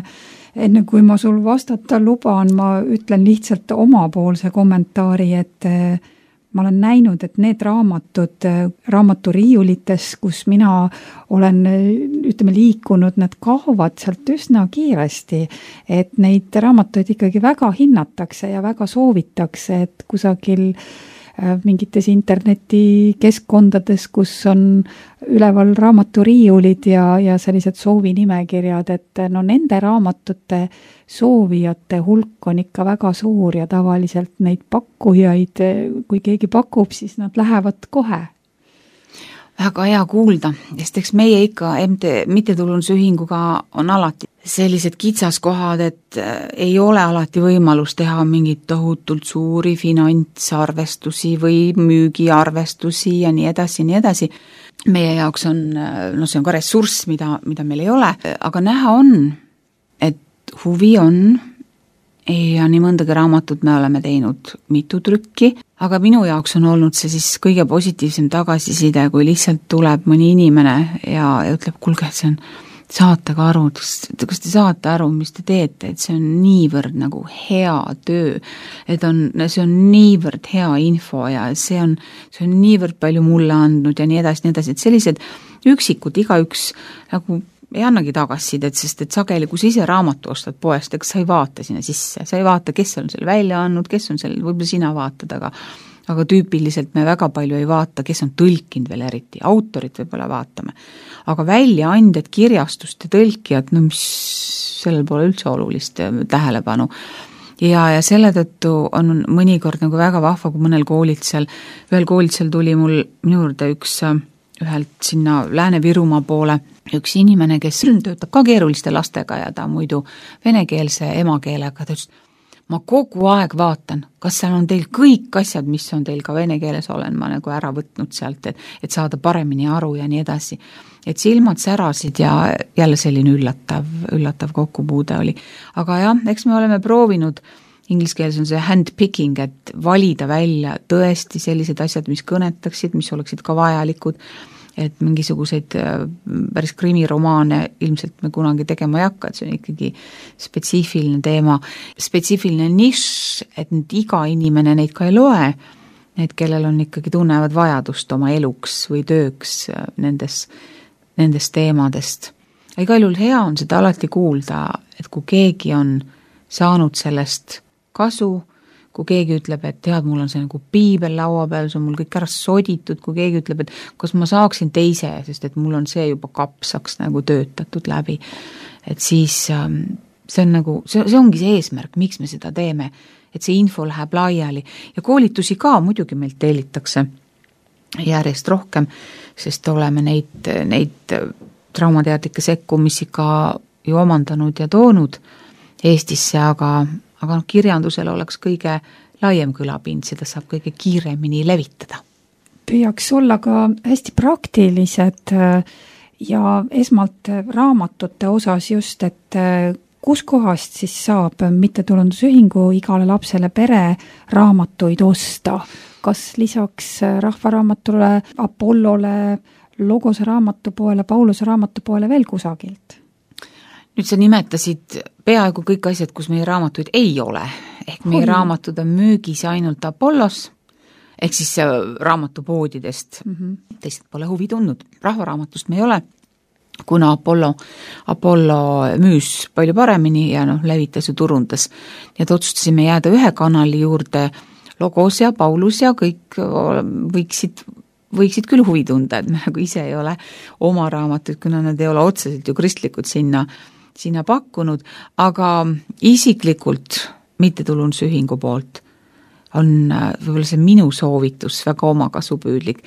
S2: Enne kui ma sul vastata luban, ma ütlen lihtsalt omapoolse kommentaari, et ma olen näinud, et need raamatud raamaturiiulites, kus mina olen liikunud, need kaovad sealt üsna kiiresti, et neid raamatuid ikkagi väga hinnatakse ja väga soovitakse, et kusagil mingites internetikeskkondades, kus on üleval raamaturiiulid ja sellised soovinimekirjad, et no nende raamatute soovijate hulk on ikka väga suur ja tavaliselt neid pakkujaid, kui keegi pakub, siis nad lähevad kohe.
S3: Väga hea kuulda, sest eks meie ikka mittetulundusühinguga on alati sellised kitsaskohad, et ei ole alati võimalus teha mingit tohutult suuri finantsarvestusi või müügiarvestusi ja nii edasi. Meie jaoks on, see on ka ressurss, mida meil ei ole, aga näha on, et huvi on ja nii mõndagi raamatut me oleme teinud mitu trükki, aga minu jaoks on olnud see siis kõige positiivsem tagasiside, kui lihtsalt tuleb mõni inimene ja ütleb, kuulge, see on saate ka aru, kas te saate aru, mis te teete, et see on niivõrd nagu hea töö, et see on niivõrd hea info ja see on niivõrd palju mulle andnud ja nii edasi, et sellised üksikud igaüks nagu ei annagi tagasisidet, sest et sageli, kui sa ise raamatu ostad poest, ega sa ei vaata sinna sisse, sa ei vaata, kes on selle välja andnud, kes on selle, võib-olla sina vaatad, aga tüüpiliselt me väga palju ei vaata, kes on tõlkinud veel eriti, autorit võib-olla vaatame. Aga väljaandjad, kirjastust ja tõlkijad, mis sellel pole üldse olulist tähelepanu. Ja selle tõttu on mõnikord nagu väga vahva, kui ühel koolitusel tuli minu juurde ühelt sinna Lääne-Virumaa poole üks inimene, kes töötab ka keeruliste lastega ja ta muidu venekeelse emakeelega, ta ütles, ma kogu aeg vaatan, kas seal on teil kõik asjad, mis on teil ka vene keeles, olen ma nagu ära võtnud sealt, et saada paremini aru ja nii edasi. Et silmad särasid ja jälle selline üllatav kokkupuude oli. Aga jah, eks me oleme proovinud, ingliskeeles on see handpicking, et valida välja tõesti sellised asjad, mis kõnetaksid, mis oleksid ka vajalikud, et mingisuguseid päris krimiromaane ilmselt me kunagi tegema ei hakka, et see on ikkagi spetsiifiline teema, spetsiifiline nišš, et nüüd iga inimene neid ka ei loe, need, kellel on ikkagi tunnevad vajadust oma eluks või tööks nendest teemadest. Igal juhul hea on seda alati kuulda, et kui keegi on saanud sellest kasu, kui keegi ütleb, et tead, mul on see nagu piibel laua peal, see on mul kõik ära soditud, kui keegi ütleb, et kas ma saaksin teise, sest et mul on see juba kapsaks nagu töötatud läbi. Et siis see on nagu, see ongi see eesmärk, miks me seda teeme, et see info läheb laiali ja koolitusi ka muidugi meilt tellitakse järjest rohkem, sest oleme neid traumateadlikke sekkumisi ka ju omandanud ja toonud Eestisse, aga kirjandusel oleks kõige laiem kõlapind, seda saab kõige kiiremini levitada.
S2: Püüaks olla ka hästi praktilised ja esmalt raamatute osas just, et kus kohast siis saab mittetulundusühingu igale lapsele pere raamatuid osta? Kas lisaks Rahvaraamatule, Apollole, Logose raamatupoele, Pauluse raamatupoele veel kusagilt?
S3: Nüüd sa nimetasid peaaegu kõik asjad, kus meie raamatuid ei ole. Ehk meie raamatud on müügis ainult Apollos, ehk siis raamatupoodidest. Teised pole huvi tundnud. Rahvaraamatust me ei ole, kuna Apollo müüs palju paremini ja levitas ja turundas. Ja otsustasime jääda ühe kanali juurde, Logos ja Paulus ja kõik võiksid küll huvi tunda, et me nagu ise ei ole oma raamatuid, kuna nad ei ole otseselt ju kristlikud sinna pakkunud, aga isiklikult mittetulundusühingu poolt on võib-olla see minu soovitus väga omakasupüüdlik.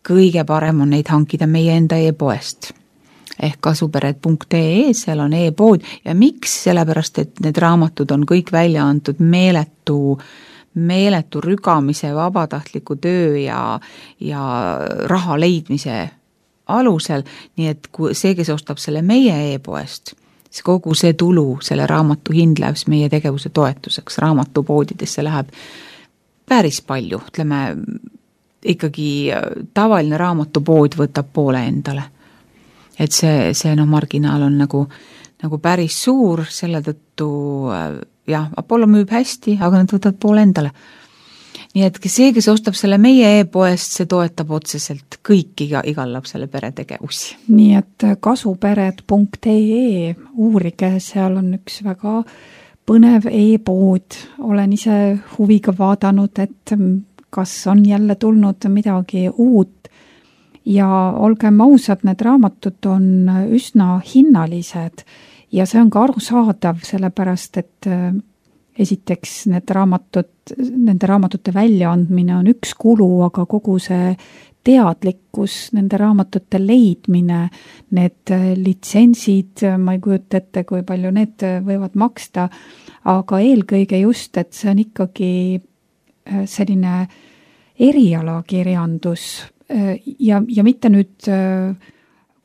S3: Kõige parem on neid hankida meie enda e-poest, ehk kasupered.ee, seal on e-pood ja miks, sellepärast, et need raamatud on kõik välja antud meeletu rügamise, vabatahtliku töö ja raha leidmise alusel, nii et kui see, kes ostab selle meie e-poest, siis kogu see tulu, selle raamatu hind läheb meie tegevuse toetuseks, raamatupoodidesse läheb päris palju, ütleme ikkagi tavaline raamatupood võtab poole endale. Et see marginaal on nagu päris suur, selle tõttu jah, Apollo müüb hästi, aga nad võtavad poole endale. Nii et see, kes ostab selle meie e-poest, see toetab otseselt kõiki igal lapsele pere tegevusi.
S2: Nii et kasupered.ee, uurige, seal on üks väga põnev e-pood. Olen ise huviga vaadanud, et kas on jälle tulnud midagi uut ja olgem ausad, need raamatud on üsna hinnalised ja see on ka arusaadav, sellepärast, et esiteks nende raamatute väljaandmine on üks kulu, aga kogu see teadlikkus, nende raamatute leidmine, need litsentsid, ma ei kujuta ette, kui palju need võivad maksta, aga eelkõige just, et see on ikkagi selline erialakirjandus ja mitte nüüd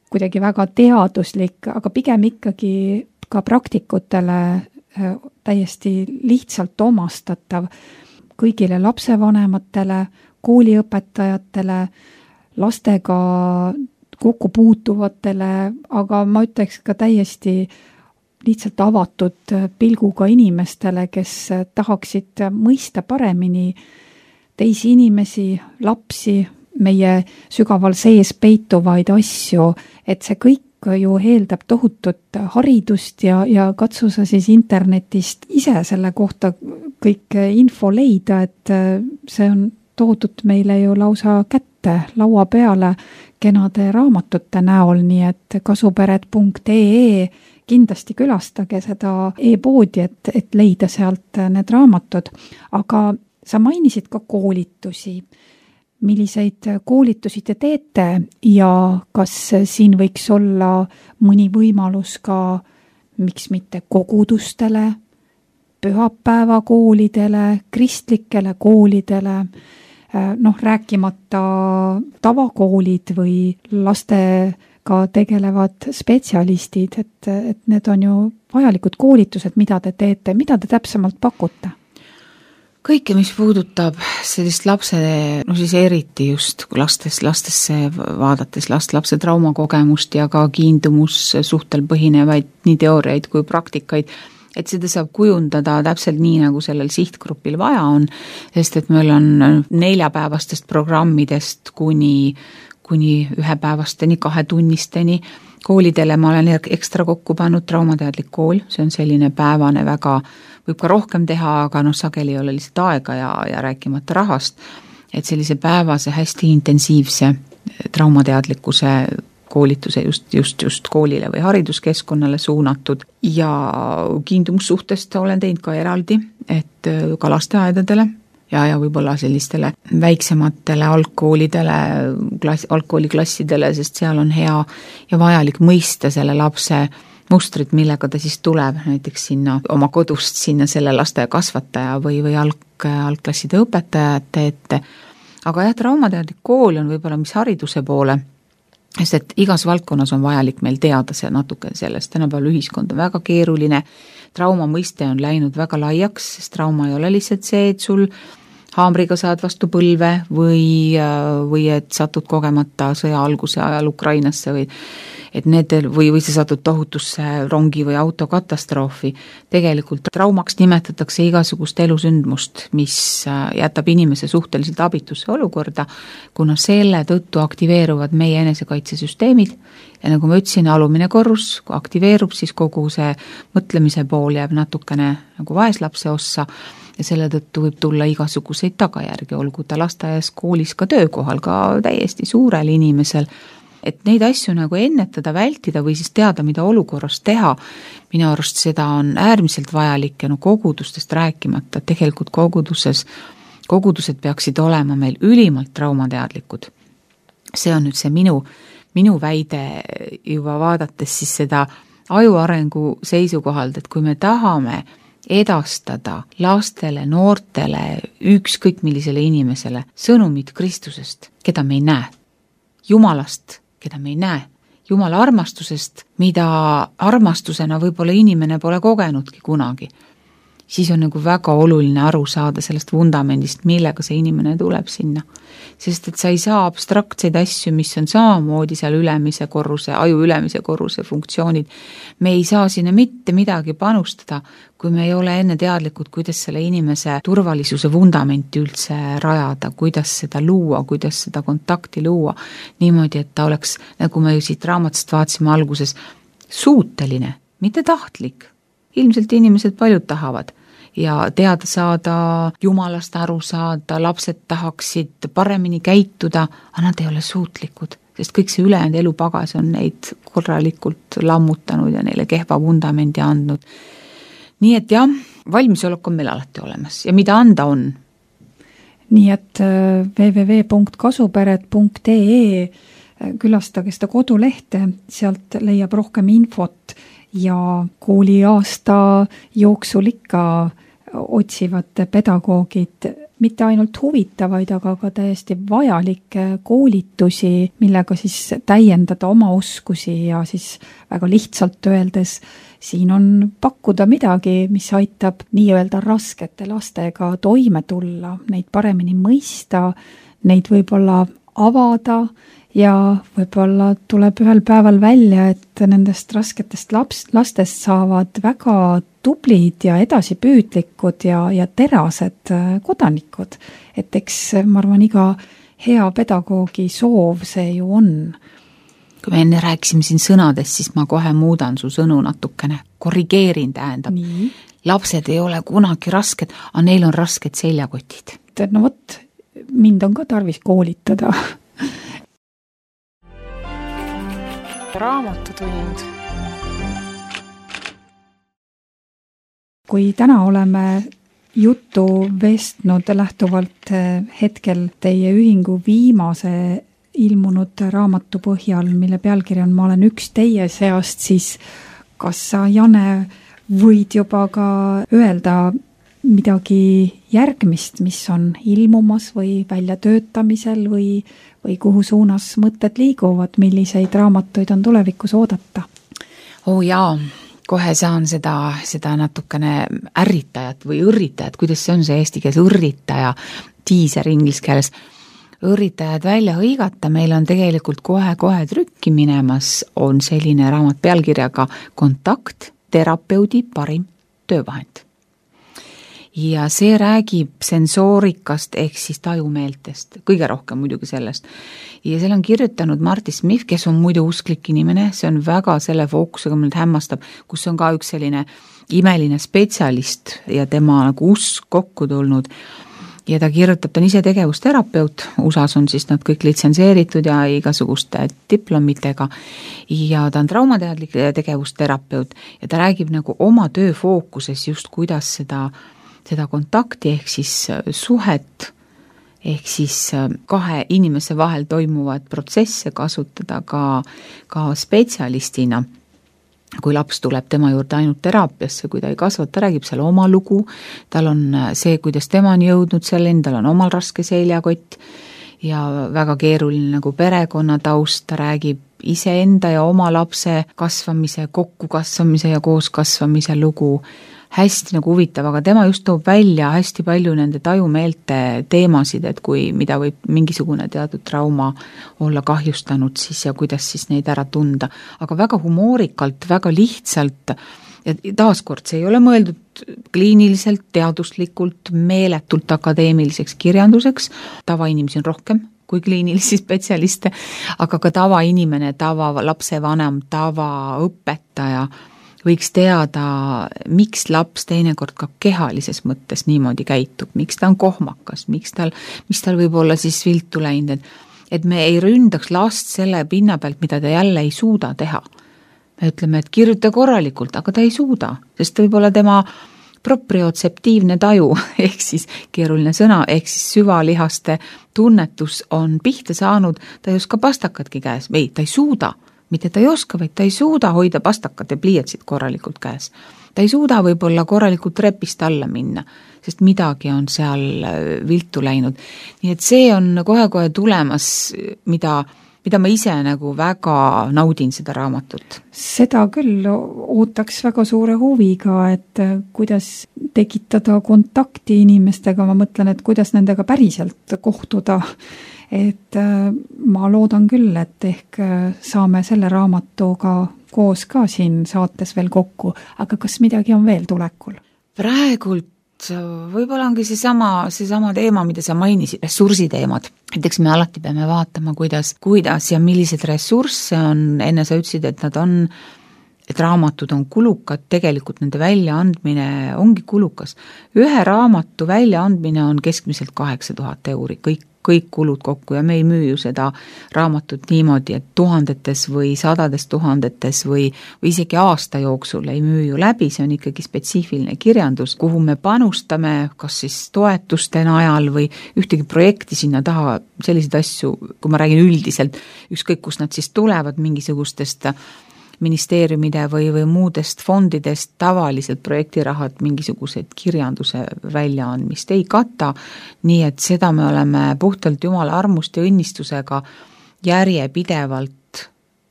S2: kuidagi väga teaduslik, aga pigem ikkagi ka praktikutele täiesti lihtsalt omastatav kõigile lapsevanematele, kooliõpetajatele, lastega kokku puutuvatele, aga ma ütleks ka täiesti lihtsalt avatud pilguga inimestele, kes tahaksid mõista paremini teisi inimesi, lapsi, meie sügaval sees peituvaid asju, et see kõik ju eeldab tohutut haridust ja katsu sa siis internetist ise selle kohta kõik info leida, et see on toodud meile ju lausa kätte laua peale kenade raamatute näol, nii et kasupered.ee kindlasti külastage seda e-poodi, et leida sealt need raamatud, aga sa mainisid ka koolitusi. Milliseid koolitusi te teete ja kas siin võiks olla mõni võimalus ka, miks mitte kogudustele, pühapäevakoolidele, kristlikele koolidele, rääkimata tavakoolid või lastega tegelevad spetsialistid, et need on ju vajalikud koolitused, mida te teete, mida te täpsemalt pakute?
S3: Kõike, mis puudutab sellist siis eriti just lastesse vaadates lapse traumakogemust ja ka kiindumussuhtel põhinevaid nii teooriaid kui praktikaid, et seda saab kujundada täpselt nii, nagu sellel sihtgrupil vaja on, sest et meil on 4-päevastest programmidest kuni 1-päevasteni, 2-tunnisteni. Koolidele ma olen ekstra kokku pannud traumateadlik kool, see on selline päevane väga, võib ka rohkem teha, aga sageli ei ole lihtsalt aega ja rääkimata rahast, et sellise päevase hästi intensiivse traumateadlikkuse koolituse just koolile või hariduskeskkonnale suunatud ja kiindumussuhtest olen teinud ka eraldi, et ka lasteaedadele ja võib-olla sellistele väiksematele algkooliklassidele, sest seal on hea ja vajalik mõista selle lapse mustrit, millega ta siis tuleb näiteks sinna oma kodust sinna selle laste kasvataja või algklasside õpetajate ette. Aga jah, traumateadlik kool on võib-olla mis hariduse poole, sest et igas valdkonnas on vajalik meil teada see natuke sellest, tänapäeval ühiskond on väga keeruline, trauma mõiste on läinud väga laiaks, sest trauma ei ole lihtsalt see, et sul haamriga saad vastu põlve või et satud kogemata sõja alguse ajal Ukrainasse või sa satud tohutusse rongi või autokatastroofi. Tegelikult traumaks nimetatakse igasugust elusündmust, mis jätab inimese suhteliselt abitusse olukorda, kuna selle tõttu aktiveeruvad meie enesekaitsesüsteemid ja nagu ma ütlesin, alumine korrus, kui aktiveerub, siis kogu see mõtlemise pool jääb natukene nagu vaeslapse ossa ja selle tõttu võib tulla igasuguseid tagajärgi, olgu ta lasteaias, koolis, ka töökohal, ka täiesti suurel inimesel. Et neid asju nagu ennetada, vältida või siis teada, mida olukorras teha, minu arust seda on äärmiselt vajalik ja kogudustest rääkimata, tegelikult kogudused peaksid olema meil ülimalt traumateadlikud. See on nüüd see minu minu väide juba vaadates siis seda ajuarengu seisukohalt, et kui me tahame edastada lastele, noortele, ükskõik millisele inimesele sõnumid Kristusest, keda me ei näe, Jumalast, keda me ei näe, Jumala armastusest, mida armastusena võib-olla inimene pole kogenudki kunagi, siis on nagu väga oluline aru saada sellest vundamendist, millega see inimene tuleb sinna. Sest et sa ei saa abstraktseid asju, mis on samamoodi seal ülemise korruse, aju ülemise korruse funktsioonid. Me ei saa sinna mitte midagi panustada, kui me ei ole enne teadlikud, kuidas selle inimese turvalisuse vundamenti üldse rajada, kuidas seda luua, kuidas seda kontakti luua. Niimoodi, et ta oleks, nagu me ju siit raamatust vaatasime alguses, suuteline, mitte tahtlik. Ilmselt inimesed paljud tahavad. Ja teada saada, Jumalast aru saada, lapsed tahaksid paremini käituda, aga nad ei ole suutlikud, sest kõik see ülejäänud elupagas on neid korralikult lammutanud ja neile kehva vundamendi andnud. Nii et jah, valmisolek on meil alati olemas ja mida anda on.
S2: Nii et www.kasuperet.ee külastage seda kodulehte, sealt leiab rohkem infot ja kooliaasta jooksul ikka otsivad pedagoogid mitte ainult huvitavaid, aga ka täiesti vajalikke koolitusi, millega siis täiendada oma oskusi ja siis väga lihtsalt öeldes siin on pakkuda midagi, mis aitab nii-öelda raskete lastega toime tulla, neid paremini mõista, neid võib-olla avada ja võib-olla tuleb ühel päeval välja, et nendest rasketest lastest saavad väga tublid ja edasipüüdlikud ja terased kodanikud. Et eks, ma arvan, iga hea pedagoogi soov see ju on.
S3: Kui me enne rääkisime siin sõnadest, siis ma kohe muudan su sõnu natukene. Korrigeerin tähendab.
S2: Nii.
S3: Lapsed ei ole kunagi rasked, aga neil on rasked seljakotid.
S2: No vot, mind on ka tarvis koolitada.
S4: Raamatutund.
S2: Kui täna oleme juttu vestnud lähtuvalt hetkel teie ühingu viimase ilmunud raamatu põhjal, mille pealkiri on Ma olen üks teie seast, siis kas sa, Jane, võid juba ka öelda midagi järgmist, mis on ilmumas või väljatöötamisel või kuhu suunas mõtted liiguvad, milliseid raamatuid on tulevikus oodata?
S3: Jaa, kohe saan seda natukene ärritajat või õrritajat, kuidas see on see eesti keeles, õrritaja, teaser inglise keeles, õrritajad välja hõigata, meil on tegelikult kohe trükki minemas, on selline raamat pealkirjaga Kontakt, terapeudi parim töövahend. Ja see räägib sensoorikast ehk siis tajumeeltest, kõige rohkem muidugi sellest. Ja seal on kirjutanud Marty Smith, kes on muidu usklik inimene, see on väga selle fookusega mind hämmastab, kus on ka üks selline imeline spetsialist ja tema nagu usk kokku tulnud. Ja ta kirjutab, ta on ise tegevusterapeut, USAs on siis nad kõik litsenseeritud ja igasuguste diplomitega ja ta on traumateadlik tegevusterapeut ja ta räägib nagu oma töö fookuses just kuidas seda kontakti ehk siis suhet, ehk siis kahe inimese vahel toimuvad protsesse kasutada ka spetsialistina. Kui laps tuleb tema juurde ainult teraapiasse, kui ta ei kasva, ta räägib seal oma lugu, tal on see, kuidas tema on jõudnud selleni, tal on omal raske seljakott ja väga keeruline nagu perekonnataust, ta räägib iseenda ja oma lapse kasvamise, kokkukasvamise ja kooskasvamise lugu, hästi nagu huvitav, aga tema just toob välja hästi palju nende tajumeelte teemasid, et mida võib mingisugune teatud trauma olla kahjustanud siis ja kuidas siis neid ära tunda. Aga väga humoorikalt, väga lihtsalt ja taaskord see ei ole mõeldud kliiniliselt, teaduslikult, meeletult akadeemiliseks kirjanduseks, tavainimesi on rohkem kui kliinilisi spetsialiste, aga ka tavainimene, tava lapsevanem, tavaõpetaja võiks teada, miks laps teinekord ka kehalises mõttes niimoodi käitub, miks ta on kohmakas, mis tal võib olla siis viltu läinud, et me ei ründaks last selle pinna pealt, mida ta jälle ei suuda teha. Me ütleme, et kirjuta korralikult, aga ta ei suuda, sest võib-olla tema propriotseptiivne taju, ehk siis keeruline sõna, ehk siis süvalihaste tunnetus on pihta saanud, ta ei oska pastakatki käes, või ta ei suuda, mitte ta ei oska, vaid ta ei suuda hoida pastakat ja pliiatsit korralikult käes. Ta ei suuda võib-olla korralikult trepist alla minna, sest midagi on seal viltu läinud. Nii et see on kohe-kohe tulemas, mida ma ise nagu väga naudin seda raamatut.
S2: Seda küll ootaks väga suure huviga, et kuidas tekitada kontakti inimestega, ma mõtlen, et kuidas nendega päriselt kohtuda. Et ma loodan küll, et ehk saame selle raamatuga koos ka siin saates veel kokku, aga kas midagi on veel tulekul?
S3: Praegult võib-olla ongi seesama teema, mida sa mainisid, ressursiteemad. Näiteks me alati peame vaatama, kuidas ja millised ressursse on, enne sa ütlesid, et raamatud on kulukad, tegelikult nende väljaandmine ongi kulukas. Ühe raamatu väljaandmine on keskmiselt 8000 €, kõik kulud kokku ja me ei müü ju seda raamatut niimoodi, et tuhandetes või sadades tuhandetes või isegi aasta jooksul ei müü ju läbi, see on ikkagi spetsiifiline kirjandus, kuhu me panustame kas siis toetuste najal või ühtegi projekti sinna taha, selliseid asju, kui ma räägin üldiselt, ükskõik kus nad siis tulevad mingisugustest ministeeriumide või muudest fondidest, tavaliselt projektirahad mingisugused kirjanduse väljaandmist ei kata, nii et seda me oleme puhtalt Jumala armust ja õnnistusega järjepidevalt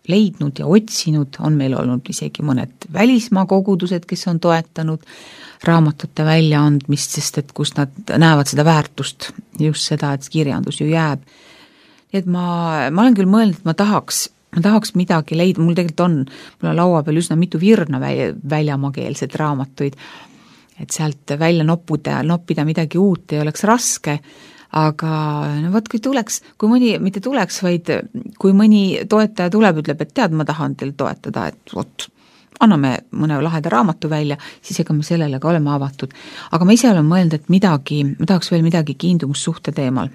S3: leidnud ja otsinud, on meil olnud isegi mõned välismaa kogudused, kes on toetanud raamatute väljaandmist, sest et kus nad näevad seda väärtust, just seda, et kirjandus ju jääb. Nii et ma olen küll mõelnud, et ma tahaks midagi leida, mul tegelikult mul on laua peal üsna mitu virna väljamaakeelset raamatuid, et sealt välja noppida midagi uut ei oleks raske, aga kui mõni toetaja tuleb, ütleb, et tead, ma tahan teil toetada, et anname mõne laheda raamatu välja, siis ega me sellele ka oleme avatud. Aga ma ise olen mõelnud, et ma tahaks veel midagi kiindumussuhte teemal.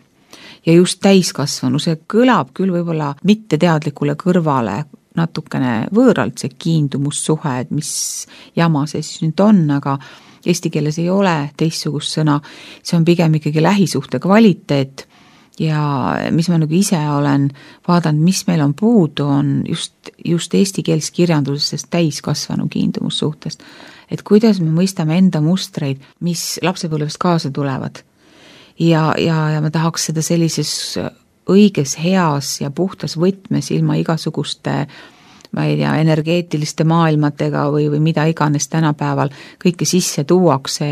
S3: Ja just täiskasvanu, see kõlab küll võib-olla mitteteadlikule kõrvale natukene võõralt, see kiindumussuhe, et mis jama see siis nüüd on, aga eesti keeles ei ole teistsugust sõna, see on pigem ikkagi lähisuhte kvaliteet ja mis ma nagu ise olen vaadanud, mis meil on puudu, on just eesti keeles kirjandusest täiskasvanu kiindumussuhtest, et kuidas me mõistame enda mustreid, mis lapsepõlvest kaasa tulevad. Ja ma tahaks seda sellises õiges, heas ja puhtas võtmes ilma igasuguste, ma ei tea, energeetiliste maailmatega või mida iganes tänapäeval kõike sisse tuuakse,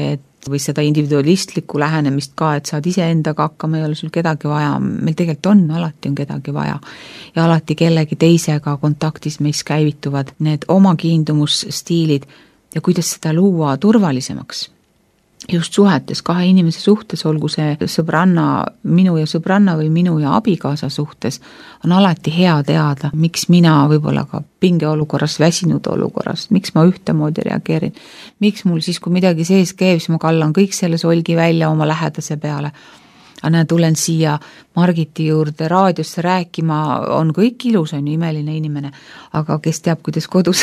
S3: või seda individualistlikku lähenemist ka, et saad ise endaga hakkama, ei ole sul kedagi vaja, meil tegelikult alati on kedagi vaja ja alati kellegi teisega kontaktis meis käivituvad need oma kiindumusstiilid ja kuidas seda luua turvalisemaks. Just suhetes, kahe inimese suhtes, olgu see minu ja sõbranna või minu ja abikaasa suhtes, on alati hea teada, miks mina võib-olla ka pingeolukorras, väsinud olukorras, miks ma ühtemoodi reageerin, miks mul siis, kui midagi sees käib, siis ma kallan kõik selle solgi välja oma lähedase peale. Aga tulen siia Margiti juurde raadiosse rääkima, on kõik ilus, on ju imeline inimene, aga kes teab, kuidas kodus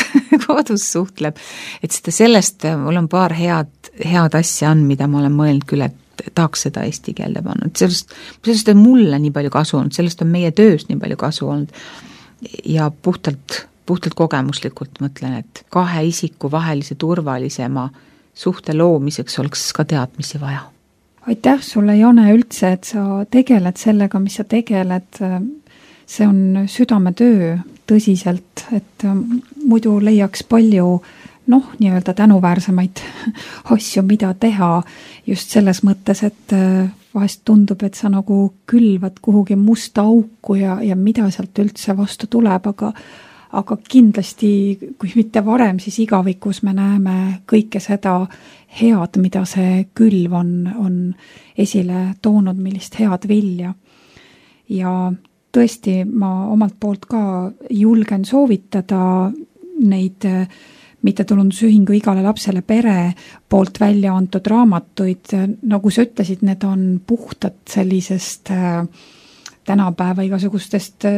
S3: suhtleb. Et sellest mul on paar head asja on, mida ma olen mõelnud küll, et tahaks seda eesti keelde panna. Sellest on mulle nii palju kasu olnud, sellest on meie töös nii palju kasu olnud ja puhtalt kogemuslikult mõtlen, et kahe isiku vahelise turvalisema suhte loomiseks oleks ka teadmisi vaja.
S2: Aitäh sulle, Jane, üldse, et sa tegeled sellega, mis sa tegeled. See on südametöö tõsiselt, et muidu leiaks palju nii-öelda tänuväärsemaid asju, mida teha just selles mõttes, et vahest tundub, et sa nagu külvad kuhugi musta auku ja mida sealt üldse vastu tuleb, aga kindlasti, kui mitte varem, siis igavikus me näeme kõike seda head, mida see külv on esile toonud, millist head vilja. Ja tõesti, ma omalt poolt ka julgen soovitada neid mittetulundusühingu Igale lapsele pere poolt välja antud raamatuid. Nagu sa ütlesid, need on puhtad sellisest tänapäeva igasugustest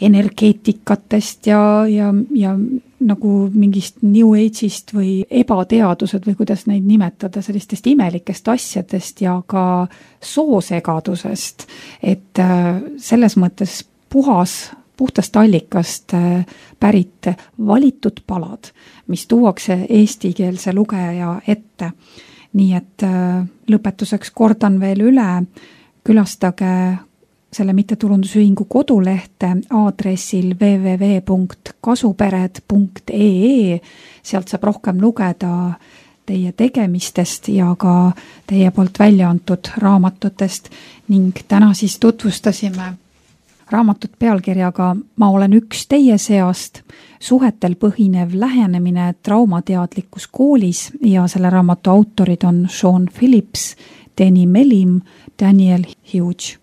S2: energeetikatest ja nagu mingist New Age'ist või ebateadused või kuidas neid nimetada, sellistest imelikest asjadest ja ka soosegadusest, et selles mõttes puhtast allikast pärit valitud palad, mis tuuakse eestikeelse lugeja ette. Nii et lõpetuseks kordan veel üle, külastage selle mittetulundusühingu kodulehte aadressil www.kasupered.ee, sealt saab rohkem lugeda teie tegemistest ja ka teie poolt välja antud raamatutest ning täna siis tutvustasime raamatut pealkirjaga Ma olen üks teie seast, suhetel põhinev lähenemine traumateadlikkus koolis ja selle raamatu autorid on Sean Phillips, Danny Melim, Daniel Hughes.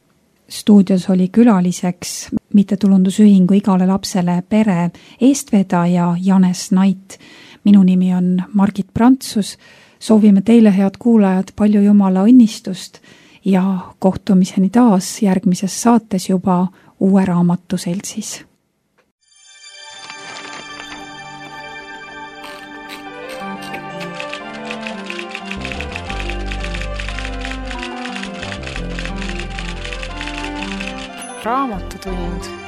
S2: Stuudios oli külaliseks mittetulundusühingu Igale lapsele pere eestvedaja Janes Nait. Minu nimi on Margit Prantsus. Soovime teile, head kuulajad, palju Jumala õnnistust ja kohtumiseni taas järgmises saates juba uue raamatu seltsis.
S4: Raamatutund.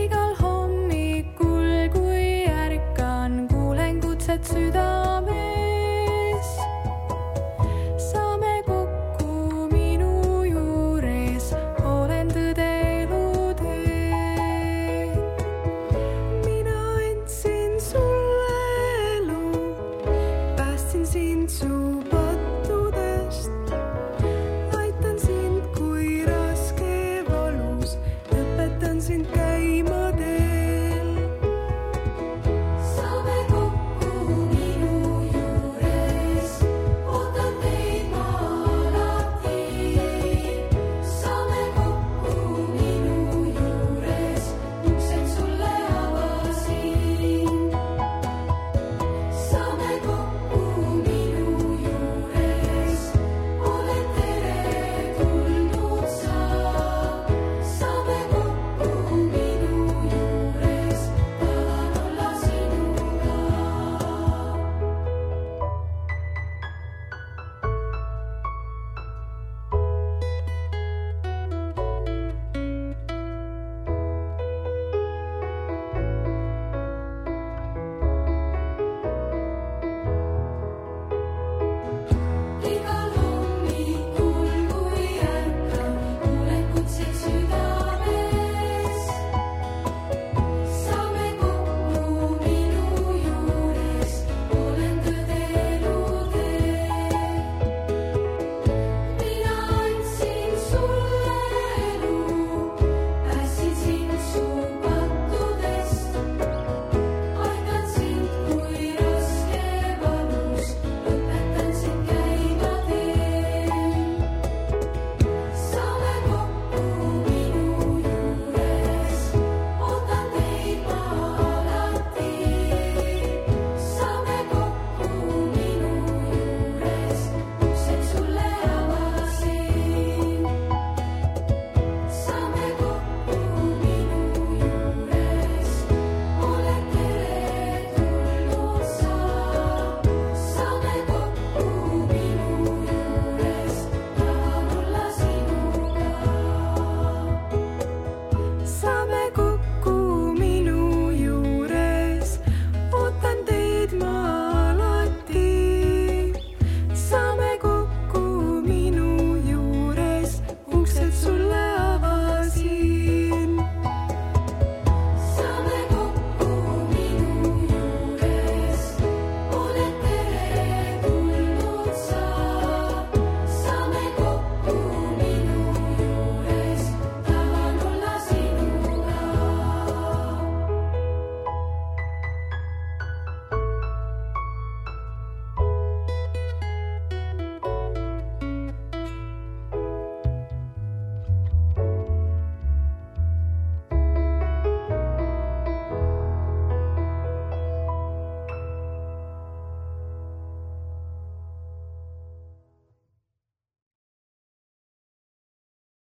S5: Igal hommikul, kui ärkan, kuulen kutset süda.